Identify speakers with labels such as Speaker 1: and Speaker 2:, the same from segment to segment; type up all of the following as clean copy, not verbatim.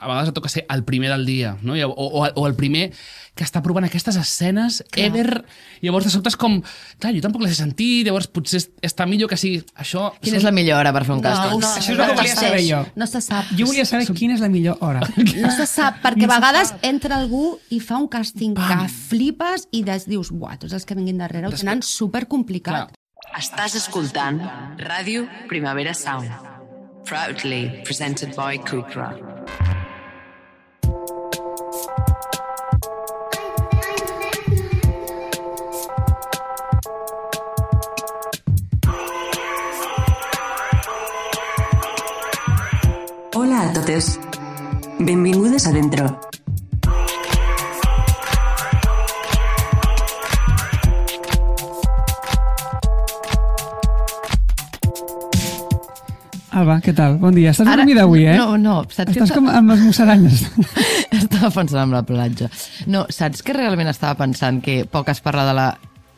Speaker 1: a vegades et toca ser el primer del dia, no? O el primer que està provant aquestes escenes ever. Llavors, de sobte és com... Clar, jo tampoc les he sentit, llavors potser està millor que sigui això...
Speaker 2: Quina és la millor hora per fer un càsting?
Speaker 3: Això és el que volia saber jo.
Speaker 4: No se sap.
Speaker 3: Jo volia saber quina és la millor hora.
Speaker 4: No se sap, perquè a vegades entra algú i fa un càsting que flipes i dius, buah, tots els que vinguin darrere ho tenen supercomplicat.
Speaker 5: Estàs escoltant Ràdio Primavera Sound. Proudly presented by Cupra.
Speaker 6: Hola a totes. Benvingudes a Dentro.
Speaker 3: Alba, què tal? Bon dia. Estàs dormida avui, eh?
Speaker 2: No.
Speaker 3: Estàs com amb les musaranyes.
Speaker 2: Estava pensant en la platja. No, saps que realment estava pensant que poc es parla de la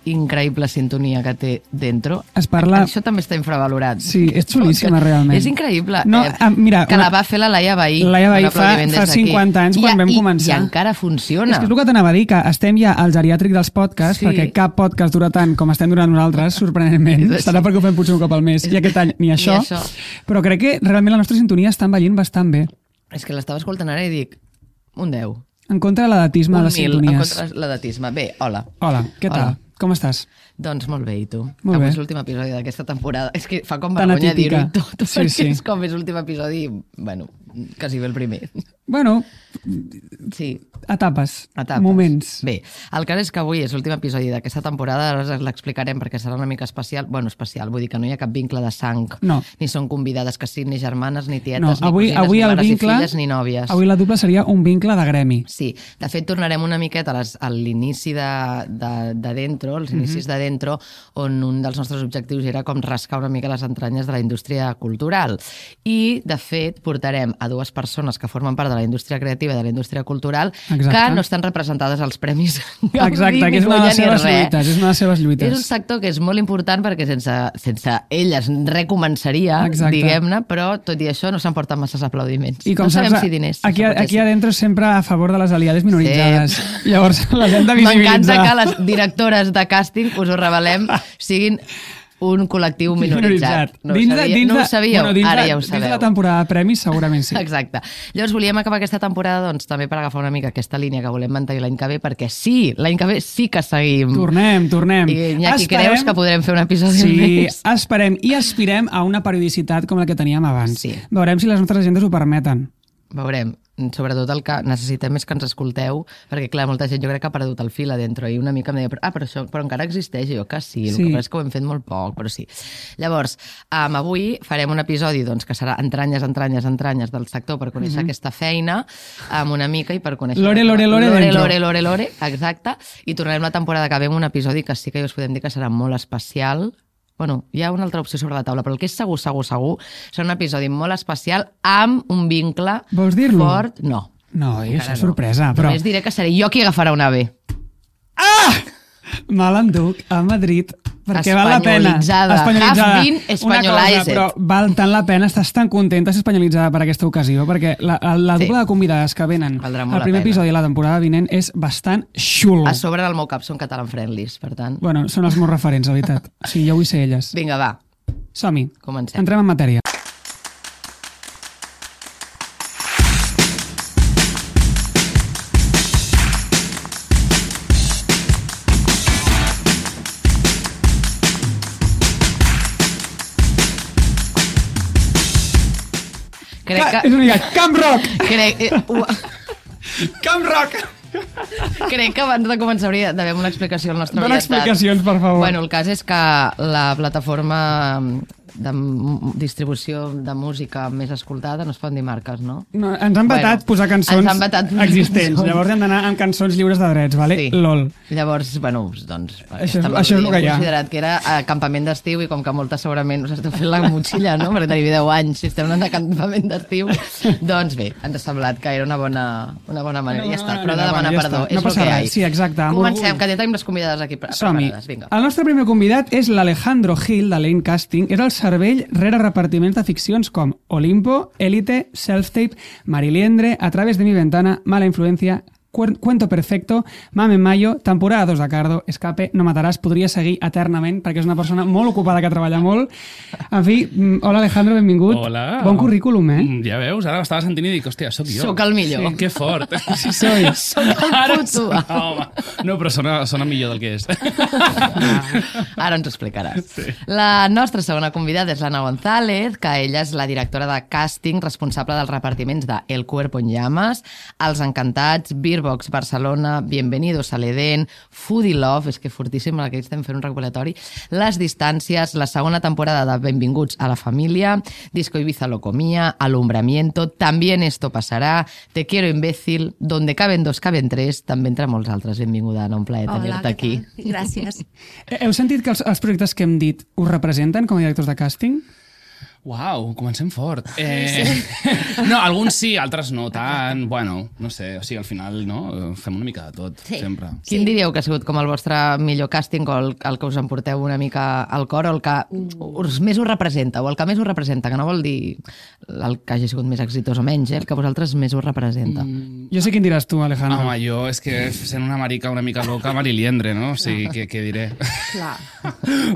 Speaker 2: increïble sintonia que té Dentro?
Speaker 3: Es parla...
Speaker 2: Això també està infravalorat.
Speaker 3: Sí, és xulíssima, realment.
Speaker 2: És increïble.
Speaker 3: No, mira,
Speaker 2: que la va fer la Laia Bahí.
Speaker 3: Laia Bahí fa 50 anys quan vam començar.
Speaker 2: I encara funciona.
Speaker 3: És que és el que t'anava a dir, que estem ja al geriàtric dels podcasts, perquè cap podcast dura tant com estem durant nosaltres, sorprenentment. Serà perquè ho fem potser un cop al mes. I aquest any ni això. Però crec que realment la nostra sintonia està envellint bastant bé.
Speaker 2: És que l'estava escoltant ara i dic, un 10.
Speaker 3: En contra de l'edatisme de les sintonies.
Speaker 2: En contra de l'edatisme. Bé, hola.
Speaker 3: Hola, què tal? Com estàs?
Speaker 2: Doncs molt bé, i tu?
Speaker 3: Molt bé.
Speaker 2: És l'últim episodi d'aquesta temporada. És que fa com vergonya dir-ho tot, perquè és com és l'últim episodi, bueno, quasi bé el primer.
Speaker 3: Bueno,
Speaker 2: sí.
Speaker 3: Etapes, moments.
Speaker 2: Bé, el cas és que avui és l'últim episodi d'aquesta temporada, ara l'explicarem perquè serà una mica especial. Bueno, especial, vull dir que no hi ha cap vincle de sang. No. Ni són convidades que siguin ni germanes, ni tietes, ni cosines, ni mares i filles, ni nòvies.
Speaker 3: Avui la dupla seria un vincle de gremi.
Speaker 2: Sí, de fet tornarem una miqueta a l'inici de Dentro, els inicis de Dentro, on un dels nostres objectius era com rascar una mica les entranyes de la indústria cultural. I, de fet, portarem a dues persones que formen part de la indústria creativa i de la indústria cultural que no estan representades als premis Gaudí.
Speaker 3: Exacte, que és una de les seves lluites. És una de les seves lluites.
Speaker 2: És un sector que és molt important perquè sense elles recomençaria, diguem-ne, però tot i això no s'emporten masses aplaudiments.
Speaker 3: I com
Speaker 2: no sabem si diners.
Speaker 3: Aquí a dentro sempre a favor de les aliades minoritzades. Sí. Llavors les hem de visibilitzar.
Speaker 2: M'encanta que les directores de càsting, us ho revelem, siguin un col·lectiu minoritzat. No ho sabíeu? Ara ja ho sabeu.
Speaker 3: Dins de la temporada de premis segurament sí.
Speaker 2: Exacte. Llavors volíem acabar aquesta temporada doncs, també per agafar una mica aquesta línia que volem mantenir l'any que ve, perquè sí, l'any que ve sí que seguim.
Speaker 3: Tornem.
Speaker 2: I Iñaki, creus que podrem fer un episodi més?
Speaker 3: Sí, esperem i aspirem a una periodicitat com la que teníem abans.
Speaker 2: Sí.
Speaker 3: Veurem si les nostres agendes ho permeten.
Speaker 2: Veurem. Sobretot el que necessitem és que ens escolteu, perquè clar, molta gent jo crec que ha perdut el fil a Dentro i una mica em deia, però encara existeix, i jo que sí, el que passa és que ho hem fet molt poc, però sí. Llavors, avui farem un episodi doncs, que serà entranyes del sector per conèixer aquesta feina, amb una mica i per conèixer...
Speaker 3: Lore,
Speaker 2: exacte, i tornarem la temporada que ve amb un episodi que sí que us podem dir que serà molt especial. Bueno, hi ha una altra opció sobre la taula, però el que és segur, serà un episodi molt especial amb un vincle fort. No.
Speaker 3: No, és sorpresa. Però...
Speaker 2: Només diré que seré jo qui agafarà un AVE.
Speaker 3: Ah! Me l'enduc a Madrid perquè val la pena.
Speaker 2: Espanyolitzada. Have been espanyolized.
Speaker 3: Però val tant la pena, estàs tan contenta de ser espanyolitzada per aquesta ocasió, perquè la dupla de convidades que venen al primer episodi de la temporada vinent és bastant xulo.
Speaker 2: A sobre del meu cap són catalan friendlies, per tant...
Speaker 3: Bueno, són els meus referents, la veritat. Sí, jo vull ser elles.
Speaker 2: Vinga, va.
Speaker 3: Som-hi.
Speaker 2: Comencem.
Speaker 3: Entrem en matèria. És una mica Camp Rock! Camp Rock!
Speaker 2: Crec que abans de començar hauria d'haver una explicació al nostre
Speaker 3: Dona explicacions, per favor.
Speaker 2: Bueno, el cas és que la plataforma de distribució de música més escoltada, no es poden dir marques, no?
Speaker 3: No, ens han vetat posar cançons existents. Llavors hem d'anar amb cançons lliures de drets, vale? Sí. LOL.
Speaker 2: Llavors, bueno, doncs...
Speaker 3: Això és el que hi ha.
Speaker 2: Considerat que era campament d'estiu i com que moltes segurament us esteu fent la motxilla, no? Perquè teniu 10 anys, si estem anant de campament d'estiu, doncs bé, ens ha semblat que era una bona manera. Ja està, però de demanar perdó.
Speaker 3: No passa res, sí, exacte.
Speaker 2: Comencem, que ja tenim les convidades aquí preparades.
Speaker 3: Vinga. El nostre primer convidat és l'Alejandro Gil, de Lane Casting. És el cervell rere repartiments de ficcions com Olimpo, Élite, Self-Tape, Mariliendre, A través de mi ventana, Mala influencia, Cuento perfecto, Mame Mayo, temporada 2 de Cardo, Escape, No mataràs, podria seguir eternament perquè és una persona molt ocupada que treballa molt. En fi, hola Alejandro, benvingut.
Speaker 1: Hola.
Speaker 3: Bon currículum,
Speaker 1: Ja veus, ara m'estava sentint i dic, hòstia, sóc jo.
Speaker 2: Sóc el millor.
Speaker 1: Sí, que fort.
Speaker 3: Sí, soy.
Speaker 2: Sóc el puto.
Speaker 1: No, home. No, però sona millor del que és.
Speaker 2: Ara ens ho explicaràs. Sí. La nostra segona convidada és l'Anna González, que ella és la directora de càsting responsable dels repartiments de El Cuerpo en Llamas, Els Encantats, Beerbox Barcelona, Bienvenidos a l'Edén, Foodie Love, és que fortíssim, que estem fent un recopilatori, Les Distàncies, la segona temporada de Benvinguts a la Família, Disco Ibiza lo comía, Alumbramiento, También esto pasará, Te quiero imbécil, Donde caben dos caben tres, també entre molts altres. Benvinguda, Anna, un plaer tenir-te aquí.
Speaker 4: Gràcies.
Speaker 3: Heu sentit que els projectes que hem dit us representen com a directors de càsting?
Speaker 1: Uau, comencem fort. No, alguns sí, altres no tant. Bueno, no sé, o sigui, al final no, fem una mica de tot, sempre.
Speaker 2: Quin diríeu que ha sigut com el vostre millor càsting o el que us emporteu una mica al cor o el que més us representa o el que més us representa, que no vol dir el que hagi sigut més exitós o menys, el que a vosaltres més us representa?
Speaker 3: Jo sé quin diràs tu, Alejandro.
Speaker 1: Home, jo és que sent una marica una mica loca, Mariliendre, no? O sigui, què diré?
Speaker 4: Clar.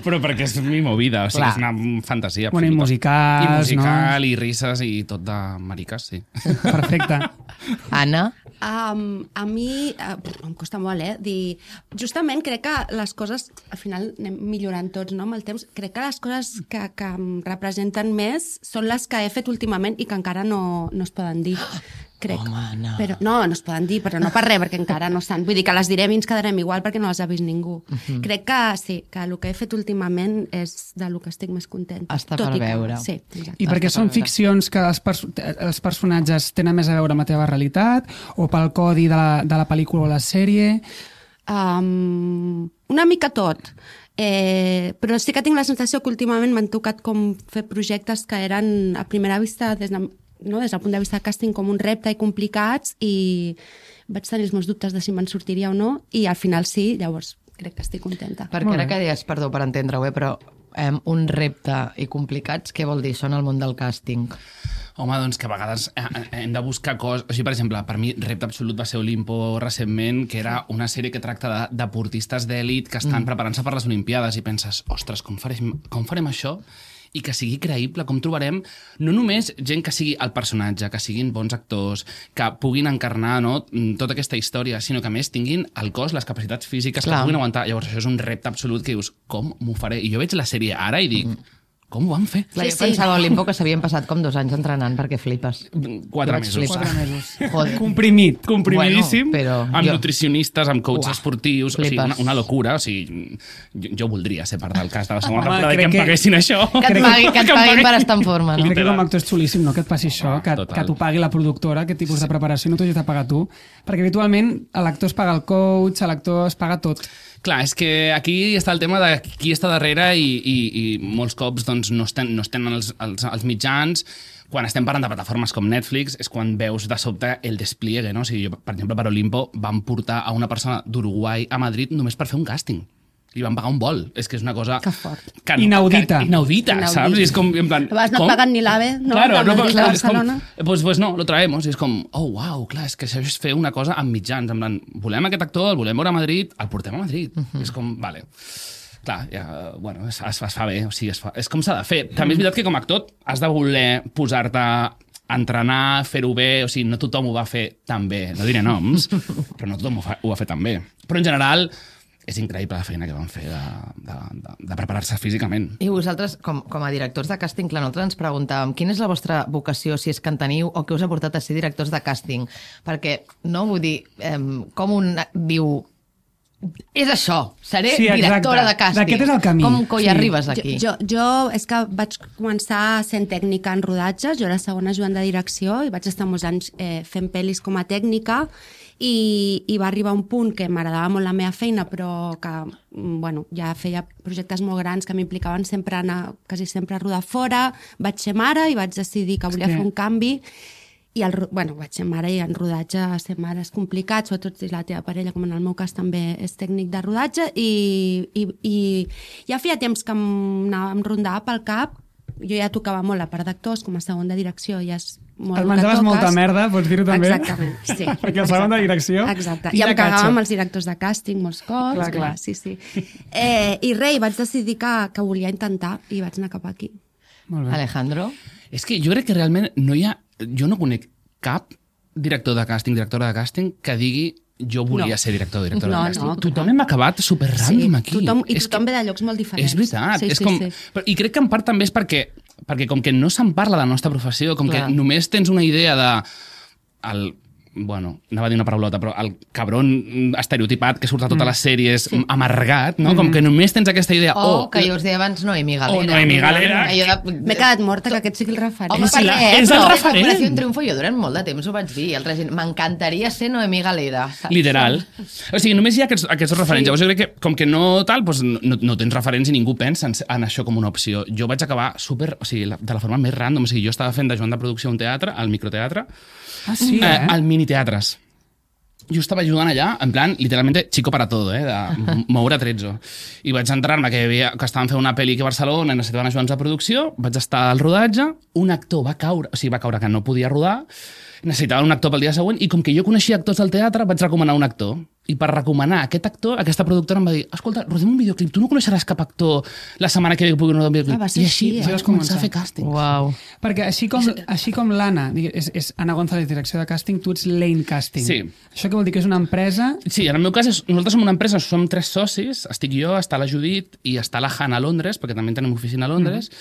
Speaker 1: Però perquè és mi movida, o sigui, és una fantasia absoluta.
Speaker 3: Bueno, i musical,
Speaker 1: I musical,
Speaker 3: no?
Speaker 1: i risses, i tot de mariques, sí.
Speaker 3: Perfecte.
Speaker 2: Anna?
Speaker 4: A mi em costa molt, dir... Justament crec que les coses, al final anem millorant tots, no?, amb el temps. Crec que les coses que em representen més són les que he fet últimament i que encara no es poden dir. Crec.
Speaker 2: Home, no.
Speaker 4: Però, no es poden dir, però no per res, perquè encara no estan. Vull dir que les direm i ens quedarem igual perquè no les ha vist ningú. Crec que sí, que el que he fet últimament és de lo que estic més contenta.
Speaker 2: Està per veure.
Speaker 4: Sí, exacte.
Speaker 3: I perquè són ficcions que els personatges tenen més a veure amb la teva realitat o pel codi de la pel·lícula o la sèrie?
Speaker 4: Una mica tot. Però sí que tinc la sensació que últimament m'han tocat com fer projectes que eren a primera vista des del punt de vista de càsting com un repte i complicats, i vaig tenir els meus dubtes de si me'n sortiria o no, i al final sí, llavors crec que estic contenta.
Speaker 2: Perquè ara que deies, perdó per entendre-ho, però un repte i complicats, què vol dir? Són el món del càsting.
Speaker 1: Home, doncs que a vegades hem de buscar coses... O sigui, per exemple, per mi repte absolut va ser Olimpo recentment, que era una sèrie que tracta de deportistes d'èlit que estan preparant-se per les Olimpiades i penses, ostres, com farem això? I que sigui creïble, com trobarem no només gent que sigui el personatge, que siguin bons actors, que puguin encarnar, no, tota aquesta història, sinó que a més tinguin el cos, les capacitats físiques que puguin aguantar. Llavors això és un repte absolut que dius, com m'ho faré? I jo veig la sèrie ara i dic, com ho van fer?
Speaker 2: Clar, jo pensava a Olimpo que s'havien passat com 2 anys entrenant perquè flipes.
Speaker 1: 4 mesos.
Speaker 3: 4 mesos.
Speaker 2: Joder.
Speaker 1: Comprimidíssim,
Speaker 2: però
Speaker 1: amb nutricionistes, amb coaches esportius, o sigui,
Speaker 2: flipes.
Speaker 1: una locura. O sigui, jo voldria ser part del cas de la segona
Speaker 3: Home,
Speaker 1: temporada i que em
Speaker 3: crec que-
Speaker 1: paguessin això.
Speaker 2: Que et paguin per estar en forma, no?
Speaker 3: Crec que com a actor és xulíssim, no?, que et passi això, que
Speaker 1: Total.
Speaker 3: t'ho pagui la productora, aquest tipus de preparació, no t'ho hagis de pagar tu. Perquè habitualment l'actor es paga el coach, l'actor es paga tot.
Speaker 1: Clar, és que aquí està el tema de qui està darrere i molts cops doncs, no estem els mitjans. Quan estem parlant de plataformes com Netflix és quan veus de sobte el despliegue, no? O sigui, jo, per exemple, per Olimpo van portar a una persona d'Uruguai a Madrid només per fer un càsting. I van pagar un vol. És que és una cosa...
Speaker 4: Que fort.
Speaker 3: Inaudita.
Speaker 1: Inaudita, saps? I és com, en plan...
Speaker 4: A vegades no
Speaker 1: com?
Speaker 4: paguen ni l'AVE, no?
Speaker 1: Claro,
Speaker 4: De
Speaker 1: no,
Speaker 4: Madrid a
Speaker 1: clar, és com,
Speaker 4: Barcelona.
Speaker 1: pues no, lo traemos. I és com, oh, wow, clar, és que això és fer una cosa amb mitjans. En plan, volem aquest actor, el volem veure a Madrid, el portem a Madrid. És com, vale. Clar, ja, bueno, es fa bé, o sigui, és com s'ha de fer. També és veritat que com a actor has de voler posar-te a entrenar, fer-ho bé, o sigui, no tothom ho va fer tan bé, no diré noms, però no tothom ho va fer tan bé. Però en general és increïble la feina que van fer de preparar-se físicament.
Speaker 2: I vosaltres, com a directors de càsting, clar, nosaltres ens preguntàvem quina és la vostra vocació, si és que en teniu, o què us ha portat a ser directors de càsting? Perquè, no, vull dir, com un diu... És això, seré directora de càsting.
Speaker 3: D'aquest és el camí.
Speaker 2: Com coi arribes aquí?
Speaker 4: Jo és que vaig començar sent tècnica en rodatges, jo era segona ajudant de direcció i vaig estar molts anys fent pel·lis com a tècnica i va arribar un punt que m'agradava molt la meva feina, però que bueno, ja feia projectes molt grans que m'implicaven sempre anar, quasi sempre a rodar fora, vaig ser mare i vaig decidir que volia fer un canvi. I vaig ser mare i en rodatge ser mare és complicat, sobretot si la teva parella, com en el meu cas, també és tècnic de rodatge i ja feia temps que em rondava pel cap jo ja tocava molt la part d'actors, com a segon de direcció ja és molt
Speaker 3: Et menjaves molta merda, pots dir-ho també?
Speaker 4: Exactament, sí.
Speaker 3: Perquè el segon de direcció...
Speaker 4: Exacte, i em cagava amb els directors de càsting molts cops.
Speaker 3: Clar.
Speaker 4: Sí. I res, vaig decidir que volia intentar i vaig anar cap aquí.
Speaker 3: Molt bé.
Speaker 2: Alejandro?
Speaker 1: És que jo crec que realment jo no conec cap directora de càsting que digui jo volia ser director o directora de càsting. Tothom hem acabat super random aquí.
Speaker 4: Tothom ve de llocs molt diferents.
Speaker 1: És veritat.
Speaker 4: Sí.
Speaker 1: I crec que en part també és perquè com que no se'n parla de la nostra professió, com que només tens una idea de... Bueno, anava a dir una paraulota, però el cabron estereotipat que surt a totes les sèries amargat, no? Com que només tens aquesta idea...
Speaker 2: que jo us deia abans Noemí Galera.
Speaker 1: Noemí Galera.
Speaker 4: M'he quedat morta que aquest sigui el referent.
Speaker 2: Home,
Speaker 1: és el referent.
Speaker 2: Operació Triunfo, jo durant molt de temps ho vaig dir. M'encantaria ser Noemí Galera.
Speaker 1: Literal. O sigui, només hi ha aquests referents. Llavors jo crec que, com que no tal, doncs no tens referents i ningú pensa en això com una opció. Jo vaig acabar de la forma més random. O sigui, jo estava fent d'ajudant de producció a un teatre, al microteatre, al miniteatres. Jo estava ajudant allà, en plan, literalmente, chico para todo, de moure trezzo. I vaig entrar-me que estaven fent una pel·li aquí a Barcelona i necessitaven ajudants de producció, vaig estar al rodatge, un actor va caure que no podia rodar, necessitava un actor pel dia següent, i com que jo coneixia actors del teatre, vaig recomanar un actor. I per recomanar aquest actor, aquesta productora em va dir escolta, rodem un videoclip, tu no coneixeràs cap actor la setmana que ve pugui rodar un videoclip.
Speaker 4: Va ser
Speaker 1: I així vaig començar a fer càsting.
Speaker 2: Uau.
Speaker 3: Perquè així com l'Anna és Anna González, direcció de càsting, tu ets Lane Casting.
Speaker 1: Sí.
Speaker 3: Això què vol dir? Que és una empresa...
Speaker 1: Sí, en el meu cas, nosaltres som una empresa, som 3 socis, estic jo, està la Judit i està la Hannah a Londres, perquè també tenim oficina a Londres,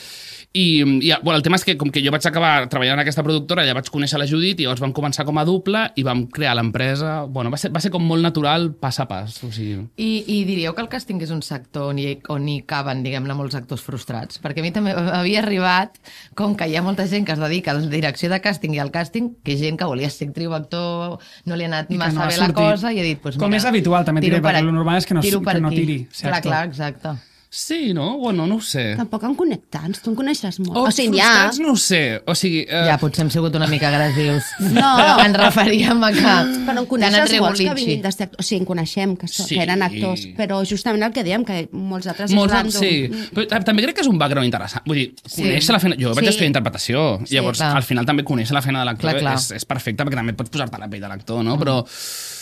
Speaker 1: i bueno, el tema és que com que jo vaig acabar treballant en aquesta productora, ja vaig conèixer la Judit i llavors vam començar com a dupla i vam crear l'empresa. Bueno, va ser com molt natural pas a pas. O sigui...
Speaker 2: I diríeu que el càsting és un sector on hi caben, diguem-ne, molts actors frustrats? Perquè a mi també havia arribat, com que hi ha molta gent que es dedica a la direcció de càsting i al càsting, que gent que volia ser actriu o actor, no li ha anat massa bé la cosa i ha dit, pues,
Speaker 3: com
Speaker 2: mira,
Speaker 3: és habitual, també diré, perquè el normal és que no tiri.
Speaker 2: Clar, exacte.
Speaker 1: Sí, no? Bueno, no ho sé.
Speaker 4: Tampoc en connectants, tu en coneixes molt.
Speaker 1: O sigui, frustrats no ho sé. O sigui...
Speaker 2: Ja, potser hem sigut una mica agressius.
Speaker 4: No.
Speaker 2: Ens referíem a que...
Speaker 4: Però en coneixes molts que vinguin de sector. O sigui, en coneixem, que eren actors. Però justament el que dèiem, que molts altres és random.
Speaker 1: Sí. Però també crec que és un background interessant. Vull dir, conèixer la feina... Jo vaig estudiar interpretació. Llavors, al final també conèixer la feina de l'actor és perfecte, perquè també pots posar-te a la pell de l'actor, no? Però...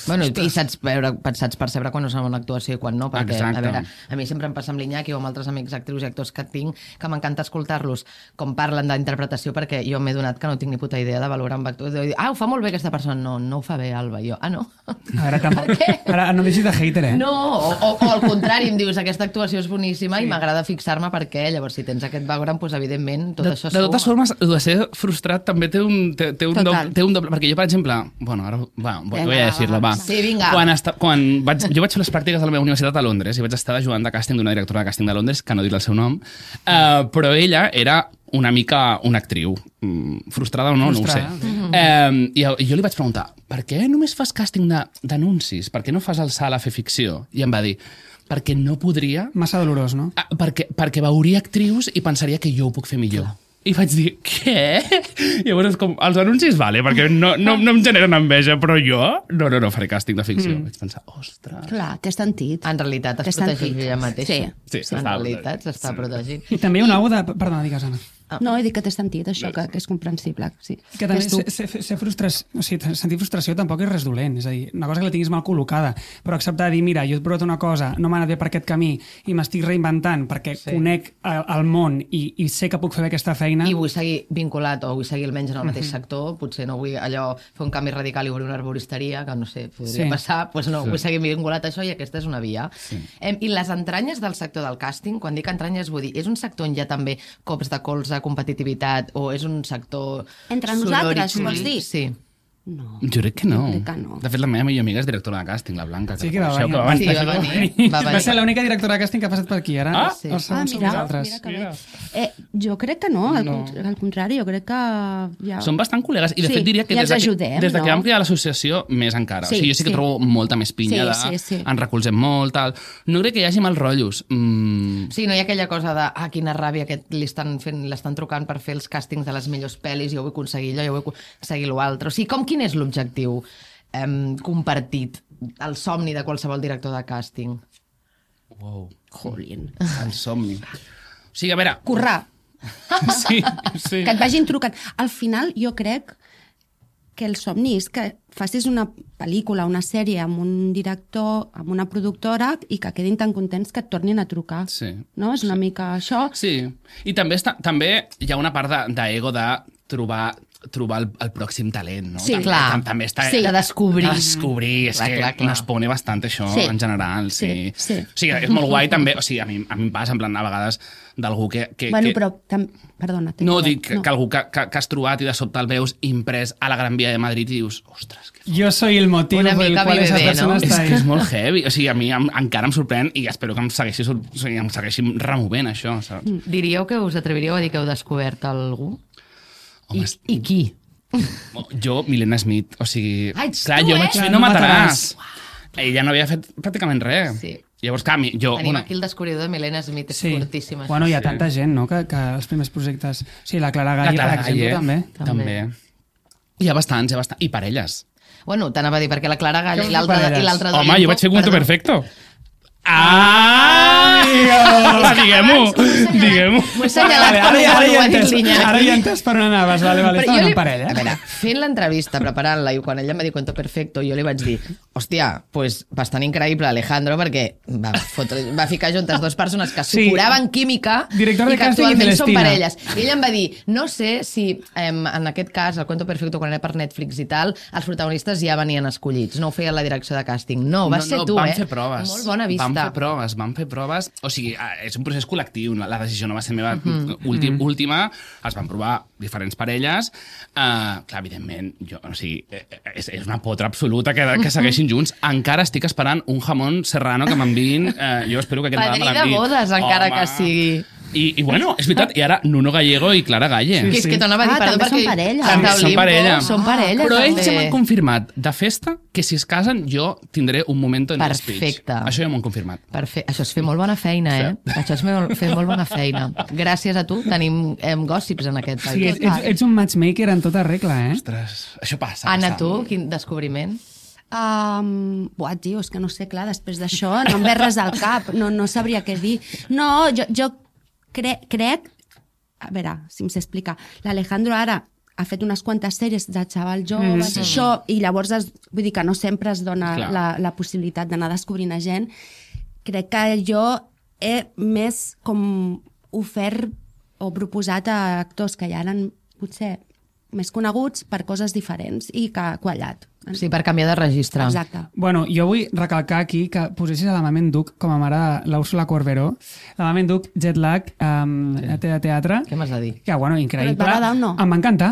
Speaker 2: Bueno, i saps percebre quan és una bona actuació i quan no, perquè a veure, a mi sempre em passa amb l'Iñaki o amb altres amics actrius i actors que tinc, que m'encanta escoltar-los com parlen d'interpretació, perquè jo m'he donat que no tinc ni puta idea de valorar amb actors. Ho fa molt bé aquesta persona. No ho fa bé, Alba. Jo, no.
Speaker 3: A veure, tampoc. Ara no deixis de hater,
Speaker 2: No, o al contrari, em dius, aquesta actuació és boníssima i m'agrada fixar-me perquè, llavors, si tens aquest background, doncs, evidentment, tot això
Speaker 1: de totes formes, el de ser frustrat també té un doble... Perquè jo, per exemple... Bueno, ara... Voy a decirlo, va.
Speaker 2: Sí, vinga.
Speaker 1: Jo vaig fer les pràctiques a la meva universitat a Londres i vaig estar ajudant de càsting d'una directora de càsting de Londres, que no diré el seu nom, però ella era una mica una actriu. Frustrada o no, no ho sé. I jo li vaig preguntar, per què només fas càsting d'anuncis? Per què no fas el salt a fer ficció? I em va dir, perquè no podria...
Speaker 3: Massa dolorós, no?
Speaker 1: Perquè veuria actrius i pensaria que jo ho puc fer millor. I vaig dir, què? Llavors, com, els anuncis, vale, perquè no em generen enveja, però jo no faré càsting de ficció. Vaig pensar, ostres...
Speaker 4: Clar, té sentit.
Speaker 2: En realitat es protegeix ella mateixa.
Speaker 1: Sí,
Speaker 2: en realitat s'està protegint.
Speaker 3: I també hi ha una auda... Perdona, digues, Anna.
Speaker 4: No, he dit que té sentit, això, que és comprensible. Sí.
Speaker 3: Que també sentir frustració tampoc és res dolent. És a dir, una cosa que la tinguis mal col·locada, però acceptar dir, mira, jo he provat una cosa, no m'ha anat bé per aquest camí i m'estic reinventant perquè conec el món i sé que puc fer bé aquesta feina.
Speaker 2: I vull seguir vinculat o vull seguir almenys en el mateix sector, potser no vull allò fer un canvi radical i obrir una arboristeria, que no sé, podria passar, doncs no, vull seguir vinculat a això i aquesta és una via. I les entranyes del sector del càsting, quan dic entranyes vull dir, és un sector on hi ha també cops de colze, competitivitat, o és un sector
Speaker 4: entre nosaltres, vols dir?
Speaker 2: Sí.
Speaker 4: No.
Speaker 1: Jo crec que no.
Speaker 4: Crec que no.
Speaker 1: De fet, la meva millor amiga és directora de càsting, la Blanca.
Speaker 3: Sí, que va venir.
Speaker 2: Va
Speaker 3: ser l'única directora de càsting que ha passat per aquí, ara.
Speaker 2: Sí.
Speaker 4: Mira, jo crec que no, al contrari, jo crec que ja...
Speaker 1: Som bastant col·legues, i de fet diria que des de que vam crear l'associació, més encara. O sigui, jo sí que trobo molta més pinya, ens recolzem molt, tal. No crec que hi hagi mal rotllos.
Speaker 2: Sí, no hi ha aquella cosa de, quina ràbia que l'estan trucant per fer els càstings de les millors pel·lis, jo vull aconseguir allò, jo vull aconseguir l'altre. O sigui, quin és l'objectiu compartit, el somni de qualsevol director de càsting?
Speaker 1: Wow.
Speaker 4: Jolín.
Speaker 1: El somni. O sigui, a veure...
Speaker 4: Currar.
Speaker 1: Sí, sí.
Speaker 4: Que et vagin trucant. Al final, jo crec que el somni és que facis una pel·lícula, una sèrie amb un director, amb una productora i que quedin tan contents que et tornin a trucar.
Speaker 1: Sí.
Speaker 4: No? És una mica això.
Speaker 1: Sí, i també hi ha una part d'ego de trobar el pròxim talent, no?
Speaker 4: Sí,
Speaker 2: clar.
Speaker 1: També està...
Speaker 2: Sí, de descobrir.
Speaker 1: De descobrir, és
Speaker 2: Clar,
Speaker 1: que
Speaker 2: clar, clar.
Speaker 1: nos pone bastant això
Speaker 4: Sí.
Speaker 1: en general, sí.
Speaker 4: Sí.
Speaker 1: O sigui, és molt guai també, o sigui, a mi em passa, en plan, a vegades, d'algú que...
Speaker 4: Bueno, però... Perdona.
Speaker 1: No, dic que algú que has trobat i de sobte el veus imprès a la Gran Via de Madrid i dius, ostres, que
Speaker 3: Yo soy el motivo
Speaker 2: Una
Speaker 3: por el
Speaker 2: mica
Speaker 3: cual esa
Speaker 2: Vive,
Speaker 3: persona
Speaker 2: no?
Speaker 3: está
Speaker 1: és
Speaker 3: ahí.
Speaker 1: que és molt heavy. O sigui, a mi encara em sorprèn i espero que em segueixi removent això, saps?
Speaker 2: Diríeu que us atreviríeu a dir que heu descobert algú?
Speaker 1: Home,
Speaker 2: I qui?
Speaker 1: Jo, Milena Smith, o sigui...
Speaker 2: Ah, ets
Speaker 1: clar,
Speaker 2: tu,
Speaker 1: jo
Speaker 2: eh?
Speaker 1: vaig
Speaker 3: Clar,
Speaker 1: fer
Speaker 3: No
Speaker 1: No mataràs.
Speaker 3: mataràs.
Speaker 1: Ella no havia fet pràcticament res.
Speaker 2: Sí.
Speaker 1: Llavors, clar, jo...
Speaker 2: Tenim aquí el descobridor de Milena Smith, és fortíssima.
Speaker 3: Bueno, hi ha tanta gent, no?, que els primers projectes... Sí, la Clara Galle, per exemple, també.
Speaker 1: Hi ha bastants. I parelles.
Speaker 2: Bueno, t'anava a dir, perquè la Clara Gall
Speaker 3: Què
Speaker 2: i l'altra
Speaker 3: parelles?
Speaker 2: de
Speaker 1: Home, jo vaig fer Cuento
Speaker 2: Perdó.
Speaker 1: Perfecto. Ah! Diguem-ho.
Speaker 2: M'ho he assenyalat quan ho ha dit l'Iñaki.
Speaker 3: Ara ja entès per on anaves, vale,
Speaker 2: Però
Speaker 3: estaven
Speaker 2: jo
Speaker 3: en parella.
Speaker 2: A veure, fent l'entrevista, preparant-la, i quan ella em va dir Cuento Perfecto, jo li vaig dir, hòstia, pues bastant increïble Alejandro, perquè va ficar juntes dues persones que
Speaker 3: Sí.
Speaker 2: supuraven química
Speaker 3: Director de
Speaker 2: i que
Speaker 3: càsting i
Speaker 2: actualment són
Speaker 3: Celestina.
Speaker 2: parelles. I ella em va dir, no sé si en aquest cas, el Cuento Perfecto, quan era per Netflix i tal, els protagonistes ja venien escollits, no ho feia la direcció de càsting. No, vas ser tu,
Speaker 1: vam
Speaker 2: eh?
Speaker 1: fer proves.
Speaker 2: Molt bona vista.
Speaker 1: Vam fer proves. O sigui, és un procés col·lectiu. La decisió no va ser meva última. Es van provar diferents parelles. Clar, evidentment, o sigui, és una potra absoluta que segueixin junts. Encara estic esperant un jamón serrano que m'enviïn. Jo espero que aquest nadal me
Speaker 2: Padrí de
Speaker 1: l'enviïn.
Speaker 2: bodes, encara
Speaker 1: Home.
Speaker 2: que sigui.
Speaker 1: I bueno, és veritat, i ara Nuno Gallego i Clara Galle.
Speaker 2: Que és que t'anava a dir, perdó,
Speaker 4: també són
Speaker 2: perquè...
Speaker 4: parella.
Speaker 1: També
Speaker 2: Santa
Speaker 1: són
Speaker 2: Olimpo,
Speaker 1: parella.
Speaker 2: Són parella,
Speaker 1: Però ells ja
Speaker 2: també.
Speaker 1: m'han confirmat de festa que si es casen jo tindré un moment en speech.
Speaker 2: Perfecte.
Speaker 1: Això ja m'ho han confirmat.
Speaker 2: Perfecte. Això és fer molt bona feina, eh? Això és fer molt bona feina. Gràcies a tu tenim gossips en aquest
Speaker 3: Sí,
Speaker 2: país.
Speaker 3: ets un matchmaker en tota regla, eh?
Speaker 1: Ostres, això passa.
Speaker 2: Anna, tu, quin descobriment?
Speaker 4: Buah, tio, és que no sé, clar, després d'això no em ve res al cap, no sabria què dir. No, jo crec... A veure, si em sé explicar. L'Alejandro ara ha fet unes quantes sèries de xaval joves, això, i llavors vull dir que no sempre es dona la possibilitat d'anar descobrint a gent. Crec que jo he més com ofert o proposat a actors que ja eren potser més coneguts per coses diferents i que ha quallat.
Speaker 2: Sí, per canviar de registre.
Speaker 4: Exacte.
Speaker 3: Bueno, jo vull recalcar aquí que posessis a la Mamen Duc com a mare de l'Úrsula Corberó. La Mamen Duc, jet lag, de teatre.
Speaker 2: Què m'has de dir?
Speaker 3: Que, bueno, increïble.
Speaker 4: Però et va agradar o no?
Speaker 3: Em va encantar.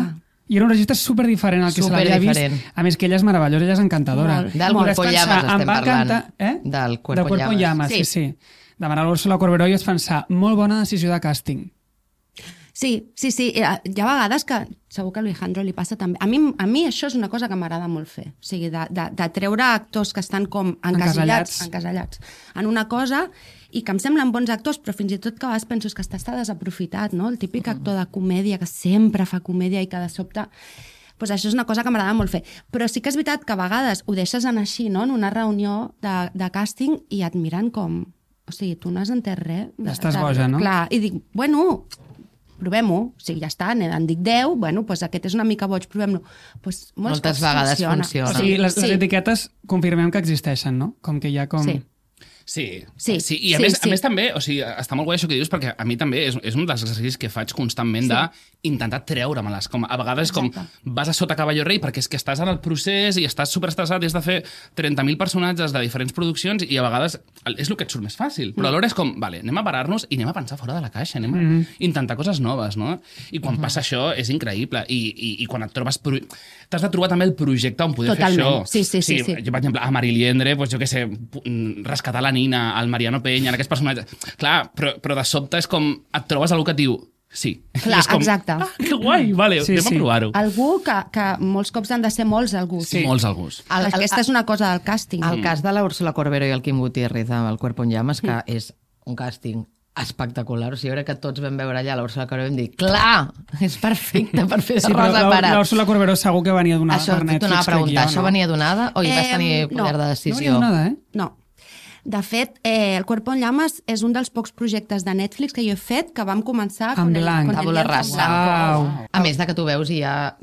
Speaker 3: I era un registre superdiferent al que se l'havia vist.
Speaker 2: Superdiferent.
Speaker 3: A més que ella és meravellosa, ella és encantadora.
Speaker 4: Molt.
Speaker 2: Del
Speaker 3: I vaig
Speaker 2: Cuerpo en
Speaker 3: pensar,
Speaker 2: Llamas
Speaker 3: em
Speaker 2: estem
Speaker 3: va
Speaker 2: parlant.
Speaker 3: encantar, eh?
Speaker 2: Del Cuerpo en
Speaker 3: en Llamas,
Speaker 2: Llamas.
Speaker 3: sí. Demanar l'Úrsula Corberó i vaig pensar, molt bona decisió de càsting.
Speaker 4: Sí. Hi ha vegades que segur que a Alejandro li passa també. A mi això és una cosa que m'agrada molt fer. O sigui, de treure actors que estan com encasellats en una cosa i que em semblen bons actors, però fins i tot que a vegades penso que està desaprofitat, no? El típic actor de comèdia que sempre fa comèdia i que de sobte... Pues això és una cosa que m'agrada molt fer. Però sí que és veritat que a vegades ho deixes anar així, no? En una reunió de càsting i et miren com... O sigui, tu no has entès res.
Speaker 3: Estàs boja, no?
Speaker 4: Clar, i dic, bueno, provem-ho. O sigui, ja està, en dic 10, bueno, pues aquest és una mica boig, provem-lo. Pues
Speaker 2: Moltes vegades funciona.
Speaker 3: O sigui, les etiquetes confirmem que existeixen, no? Com que hi ha com...
Speaker 4: Sí.
Speaker 1: Sí. I a més també, o sigui, està molt guai això que dius, perquè a mi també és un dels exercicis que faig constantment d'intentar treure-me-les. Com a vegades com vas a sota cavalló rei perquè és que estàs en el procés i estàs superestressat i has de fer 30.000 personatges de diferents produccions i a vegades és el que et surt més fàcil. Però alhora és com, vale, anem a parar-nos i anem a pensar fora de la caixa, anem a intentar coses noves, no? I quan passa això és increïble. I quan et trobes... T'has de trobar també el projecte on poder fer això.
Speaker 4: Sí.
Speaker 1: Jo, per exemple, a Mariliendre, jo què sé, rescatar la Nina, al Mariano Peña, en aquests personatges... Clar, però de sobte és com... Et trobes algú que et diu... Sí.
Speaker 4: Clar,
Speaker 1: és com,
Speaker 4: exacte.
Speaker 1: Que guai, vale, anem a provar-ho.
Speaker 4: Algú que molts cops han de ser molts algús.
Speaker 1: Sí. Molts algús.
Speaker 4: Aquesta és una cosa del càsting.
Speaker 2: El cas de la Úrsula Corberó i el Quim Gutiérrez amb el Cuerpo en Llamas, que és un càsting espectacular. O sigui, jo crec que tots vam veure allà l'Úrsula Corberó i vam dir, clar, és perfecte per fer de Rosa Parat.
Speaker 3: L'Úrsula Corberó segur que venia donada
Speaker 2: això,
Speaker 3: per Netflix.
Speaker 2: T'anava a preguntar, això
Speaker 3: no?
Speaker 2: venia donada o hi vas tenir poder de
Speaker 3: No
Speaker 2: decisió?
Speaker 3: venia donada, eh?
Speaker 4: No. De fet, El cuerpo en llamas és un dels pocs projectes de Netflix que jo he fet que vam començar
Speaker 3: En
Speaker 4: con el
Speaker 3: blanc.
Speaker 2: Tabula
Speaker 4: lienzo
Speaker 2: rasa.
Speaker 4: blanco.
Speaker 2: A més de que tu veus i ja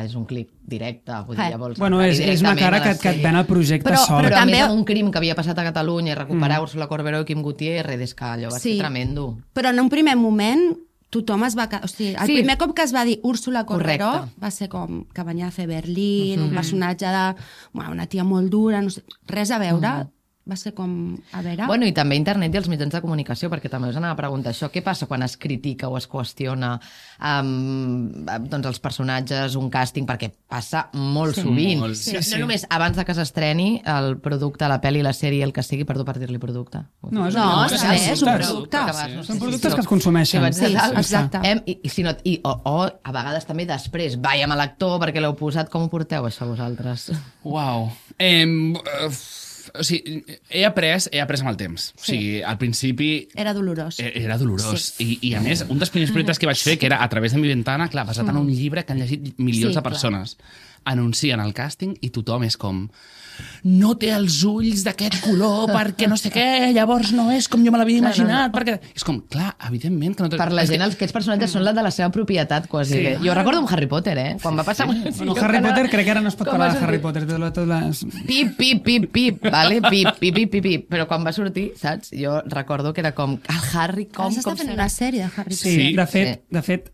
Speaker 2: és un clip directe, vull dir, ja vols...
Speaker 3: Bueno,
Speaker 2: entrar
Speaker 3: és una
Speaker 2: directament
Speaker 3: cara
Speaker 2: a la
Speaker 3: que et
Speaker 2: sèrie.
Speaker 3: ven el projecte
Speaker 4: Però-
Speaker 3: sol.
Speaker 2: Però
Speaker 4: també-
Speaker 2: també amb un crim que havia passat a Catalunya i recuperar Úrsula Corberó i Quim Gutiérrez, és que allò va ser tremendo.
Speaker 4: Però en un primer moment tothom es va... O sigui, el
Speaker 2: Sí.
Speaker 4: primer cop que es va dir Úrsula Corberó
Speaker 2: Correcte.
Speaker 4: va ser com que venia a fer Berlín, un personatge de... Bueno, una tia molt dura, no sé, res a veure. Va ser com... A veure...
Speaker 2: Bueno, i també internet i els mitjans de comunicació, perquè també us anava a preguntar això. Què passa quan es critica o es qüestiona doncs els personatges, un càsting? Perquè passa molt sovint.
Speaker 1: molt. Sí,
Speaker 2: No només abans de que s'estreni el producte, la pel·li, la sèrie, el que sigui, perdó per dir-li producte.
Speaker 3: No, és
Speaker 4: No,
Speaker 3: és
Speaker 4: és un
Speaker 3: productes.
Speaker 4: producte.
Speaker 3: Són productes que es consumeixen.
Speaker 2: Sí, vaig dir
Speaker 4: Sí,
Speaker 2: dalt.
Speaker 4: exacte.
Speaker 2: O a vegades també després, vaig amb l'actor perquè l'heu posat. Com ho porteu, això, vosaltres?
Speaker 1: Uau. O sigui, he après amb el temps. O sigui, al principi
Speaker 4: Era dolorós.
Speaker 1: era dolorós. I a més, un dels primers projectes que vaig fer, que era A través de mi ventana, clar, basat en un llibre que han llegit milions
Speaker 4: Sí,
Speaker 1: de persones, anuncien el càsting i tothom és com no té els ulls d'aquest color perquè no sé què, llavors no és com jo me l'havia imaginat. Perquè... És com, clar, evidentment que no té...
Speaker 2: Per la
Speaker 1: és que-
Speaker 2: gent, aquests personatges són la de la seva propietat, quasi.
Speaker 1: Sí.
Speaker 2: Jo recordo amb Harry Potter, Quan va passar...
Speaker 3: Bueno, Harry Potter, crec que ara no es pot
Speaker 2: Com
Speaker 3: parlar
Speaker 2: va
Speaker 3: de Harry
Speaker 2: sortir?
Speaker 3: Potter. Tot les...
Speaker 2: Pip, pip, pip, pip, vale? Pip, pip, pip, pip, pip. Però quan va sortir, saps? Jo recordo que era com, el Harry,
Speaker 4: Ara s'està
Speaker 2: com
Speaker 4: fent
Speaker 2: serà?
Speaker 4: una sèrie de Harry
Speaker 3: Sí,
Speaker 4: Potter.
Speaker 3: de fet,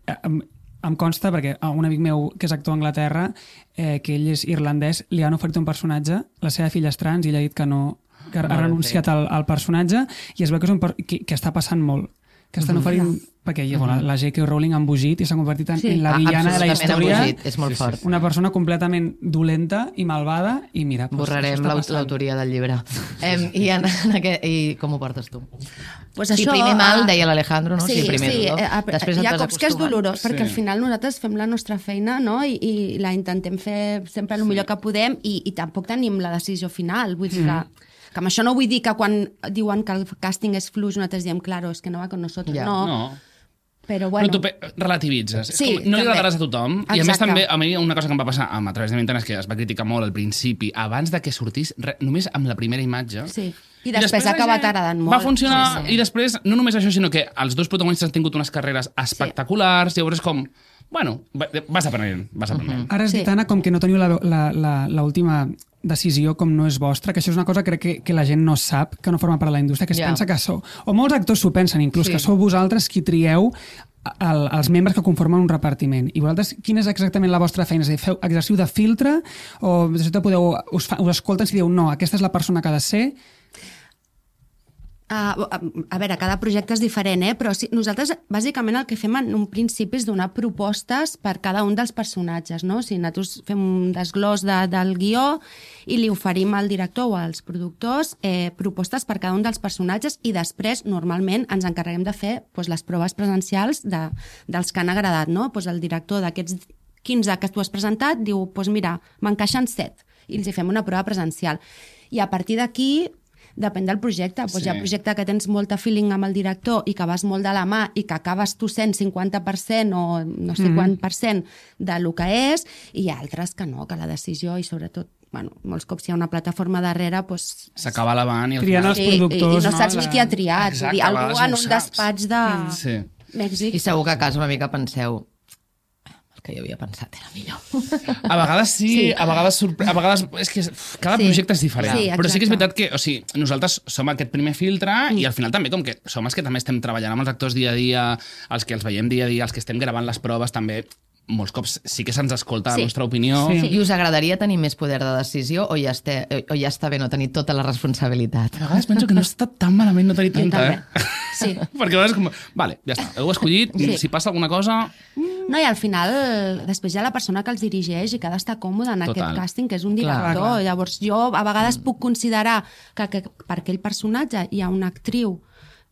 Speaker 3: em consta, perquè un amic meu que és actor a Anglaterra, que ell és irlandès, li han oferit un personatge, la seva filla és trans, i ell ha dit que no, que ha renunciat al personatge, i es veu que és que està passant molt, que estan oferint, perquè bueno, la J.K. Rowling ha embogit i s'ha convertit en la villana de la
Speaker 2: Absolutament
Speaker 3: història,
Speaker 2: embogit, és molt fort.
Speaker 3: una persona completament dolenta i malvada, i mira... doncs,
Speaker 2: Borrarem
Speaker 3: això està passant.
Speaker 2: l'autoria del llibre. I com ho portes tu?
Speaker 4: Pues
Speaker 2: Sí,
Speaker 4: això,
Speaker 2: primer mal, deia l'Alejandro, no?
Speaker 4: Sí,
Speaker 2: primer dolor. Després
Speaker 4: hi ha
Speaker 2: et vas
Speaker 4: cops que és
Speaker 2: acostumant.
Speaker 4: dolorós, perquè al final nosaltres fem la nostra feina, no?, i la intentem fer sempre el millor que podem, i tampoc tenim la decisió final. Vull dir que amb això no vull dir que quan diuen que el càsting és fluix nosaltres diem, claro, és que no va con nosotros.
Speaker 2: Ja.
Speaker 1: No.
Speaker 4: Però
Speaker 1: Bueno.
Speaker 4: bueno...
Speaker 1: Però tu relativitzes.
Speaker 4: Sí,
Speaker 1: És com, no li
Speaker 4: també.
Speaker 1: agradaràs a tothom. I a més
Speaker 4: Exacte.
Speaker 1: també, a mi una cosa que em va passar amb A través de mi ventana és que es va criticar molt al principi, abans de que sortís, només amb la primera imatge.
Speaker 4: Sí. I després ha
Speaker 1: la
Speaker 4: acabat
Speaker 1: gent
Speaker 4: agradant molt.
Speaker 1: Va funcionar,
Speaker 4: Sí, sí.
Speaker 1: i després, no només això, sinó que els dos protagonistes han tingut unes carreres espectaculars, llavors és com, bueno, vas aprenent.
Speaker 3: Ara has dit, Anna, com que no teniu l'última decisió com no és vostra, que això és una cosa que crec que la gent no sap, que no forma part de la indústria, que es
Speaker 2: Ja.
Speaker 3: pensa que sou... O molts actors s'ho pensen, inclús,
Speaker 2: Sí.
Speaker 3: que sou vosaltres qui trieu els membres que conformen un repartiment. I vosaltres, quina és exactament la vostra feina? És a dir, exerciu de filtre o us escolten si dieu no, aquesta és la persona que ha de ser?
Speaker 4: A veure, cada projecte és diferent, però sí, nosaltres bàsicament el que fem en un principi és donar propostes per cada un dels personatges, no? O sigui, nosaltres fem un desglòs del guió i li oferim al director o als productors propostes per cada un dels personatges i després, normalment, ens encarreguem de fer les proves presencials dels que han agradat, no? El director d'aquests 15 que tu has presentat diu, mira, m'encaixen 7 i els hi fem una prova presencial. I a partir d'aquí depèn del projecte. Hi ha projecte que tens molta feeling amb el director i que vas molt de la mà i que acabes tu sent 50% o no sé quant % del que és, i hi ha altres que no, que la decisió i sobretot molts cops hi ha una plataforma darrere,
Speaker 1: s'acaba lavant i al
Speaker 3: Trien
Speaker 1: final...
Speaker 3: els productors,
Speaker 4: i no saps ni qui ha triat.
Speaker 1: Exacte,
Speaker 4: Vull dir,
Speaker 1: a
Speaker 4: algú
Speaker 1: vegades
Speaker 4: en
Speaker 1: no
Speaker 4: un
Speaker 1: ho saps.
Speaker 4: despatx de Mèxic.
Speaker 2: I segur que a casa una mica penseu el que jo havia pensat era millor.
Speaker 1: A vegades sí, a vegades és que cada projecte és diferent.
Speaker 4: Sí,
Speaker 1: però sí que és
Speaker 4: exacte.
Speaker 1: veritat que, o sigui, nosaltres som aquest primer filtre i al final també, com que som els que també estem treballant amb els actors dia a dia, els que els veiem dia a dia, els que estem gravant les proves també, molts cops sí que se'ns escolta la nostra opinió.
Speaker 3: Sí.
Speaker 2: I us agradaria tenir més poder de decisió o ja està bé no tenir tota la responsabilitat?
Speaker 1: A vegades penso que no està tan malament no tenir tanta,
Speaker 4: també. Sí.
Speaker 1: Perquè a vegades com, vale, ja està, heu escollit, si passa alguna cosa...
Speaker 4: No, i al final, després hi ha la persona que els dirigeix i que ha d'estar còmode en aquest càsting, que és un director.
Speaker 3: Clar.
Speaker 4: Llavors, jo a vegades puc considerar que per aquell personatge hi ha una actriu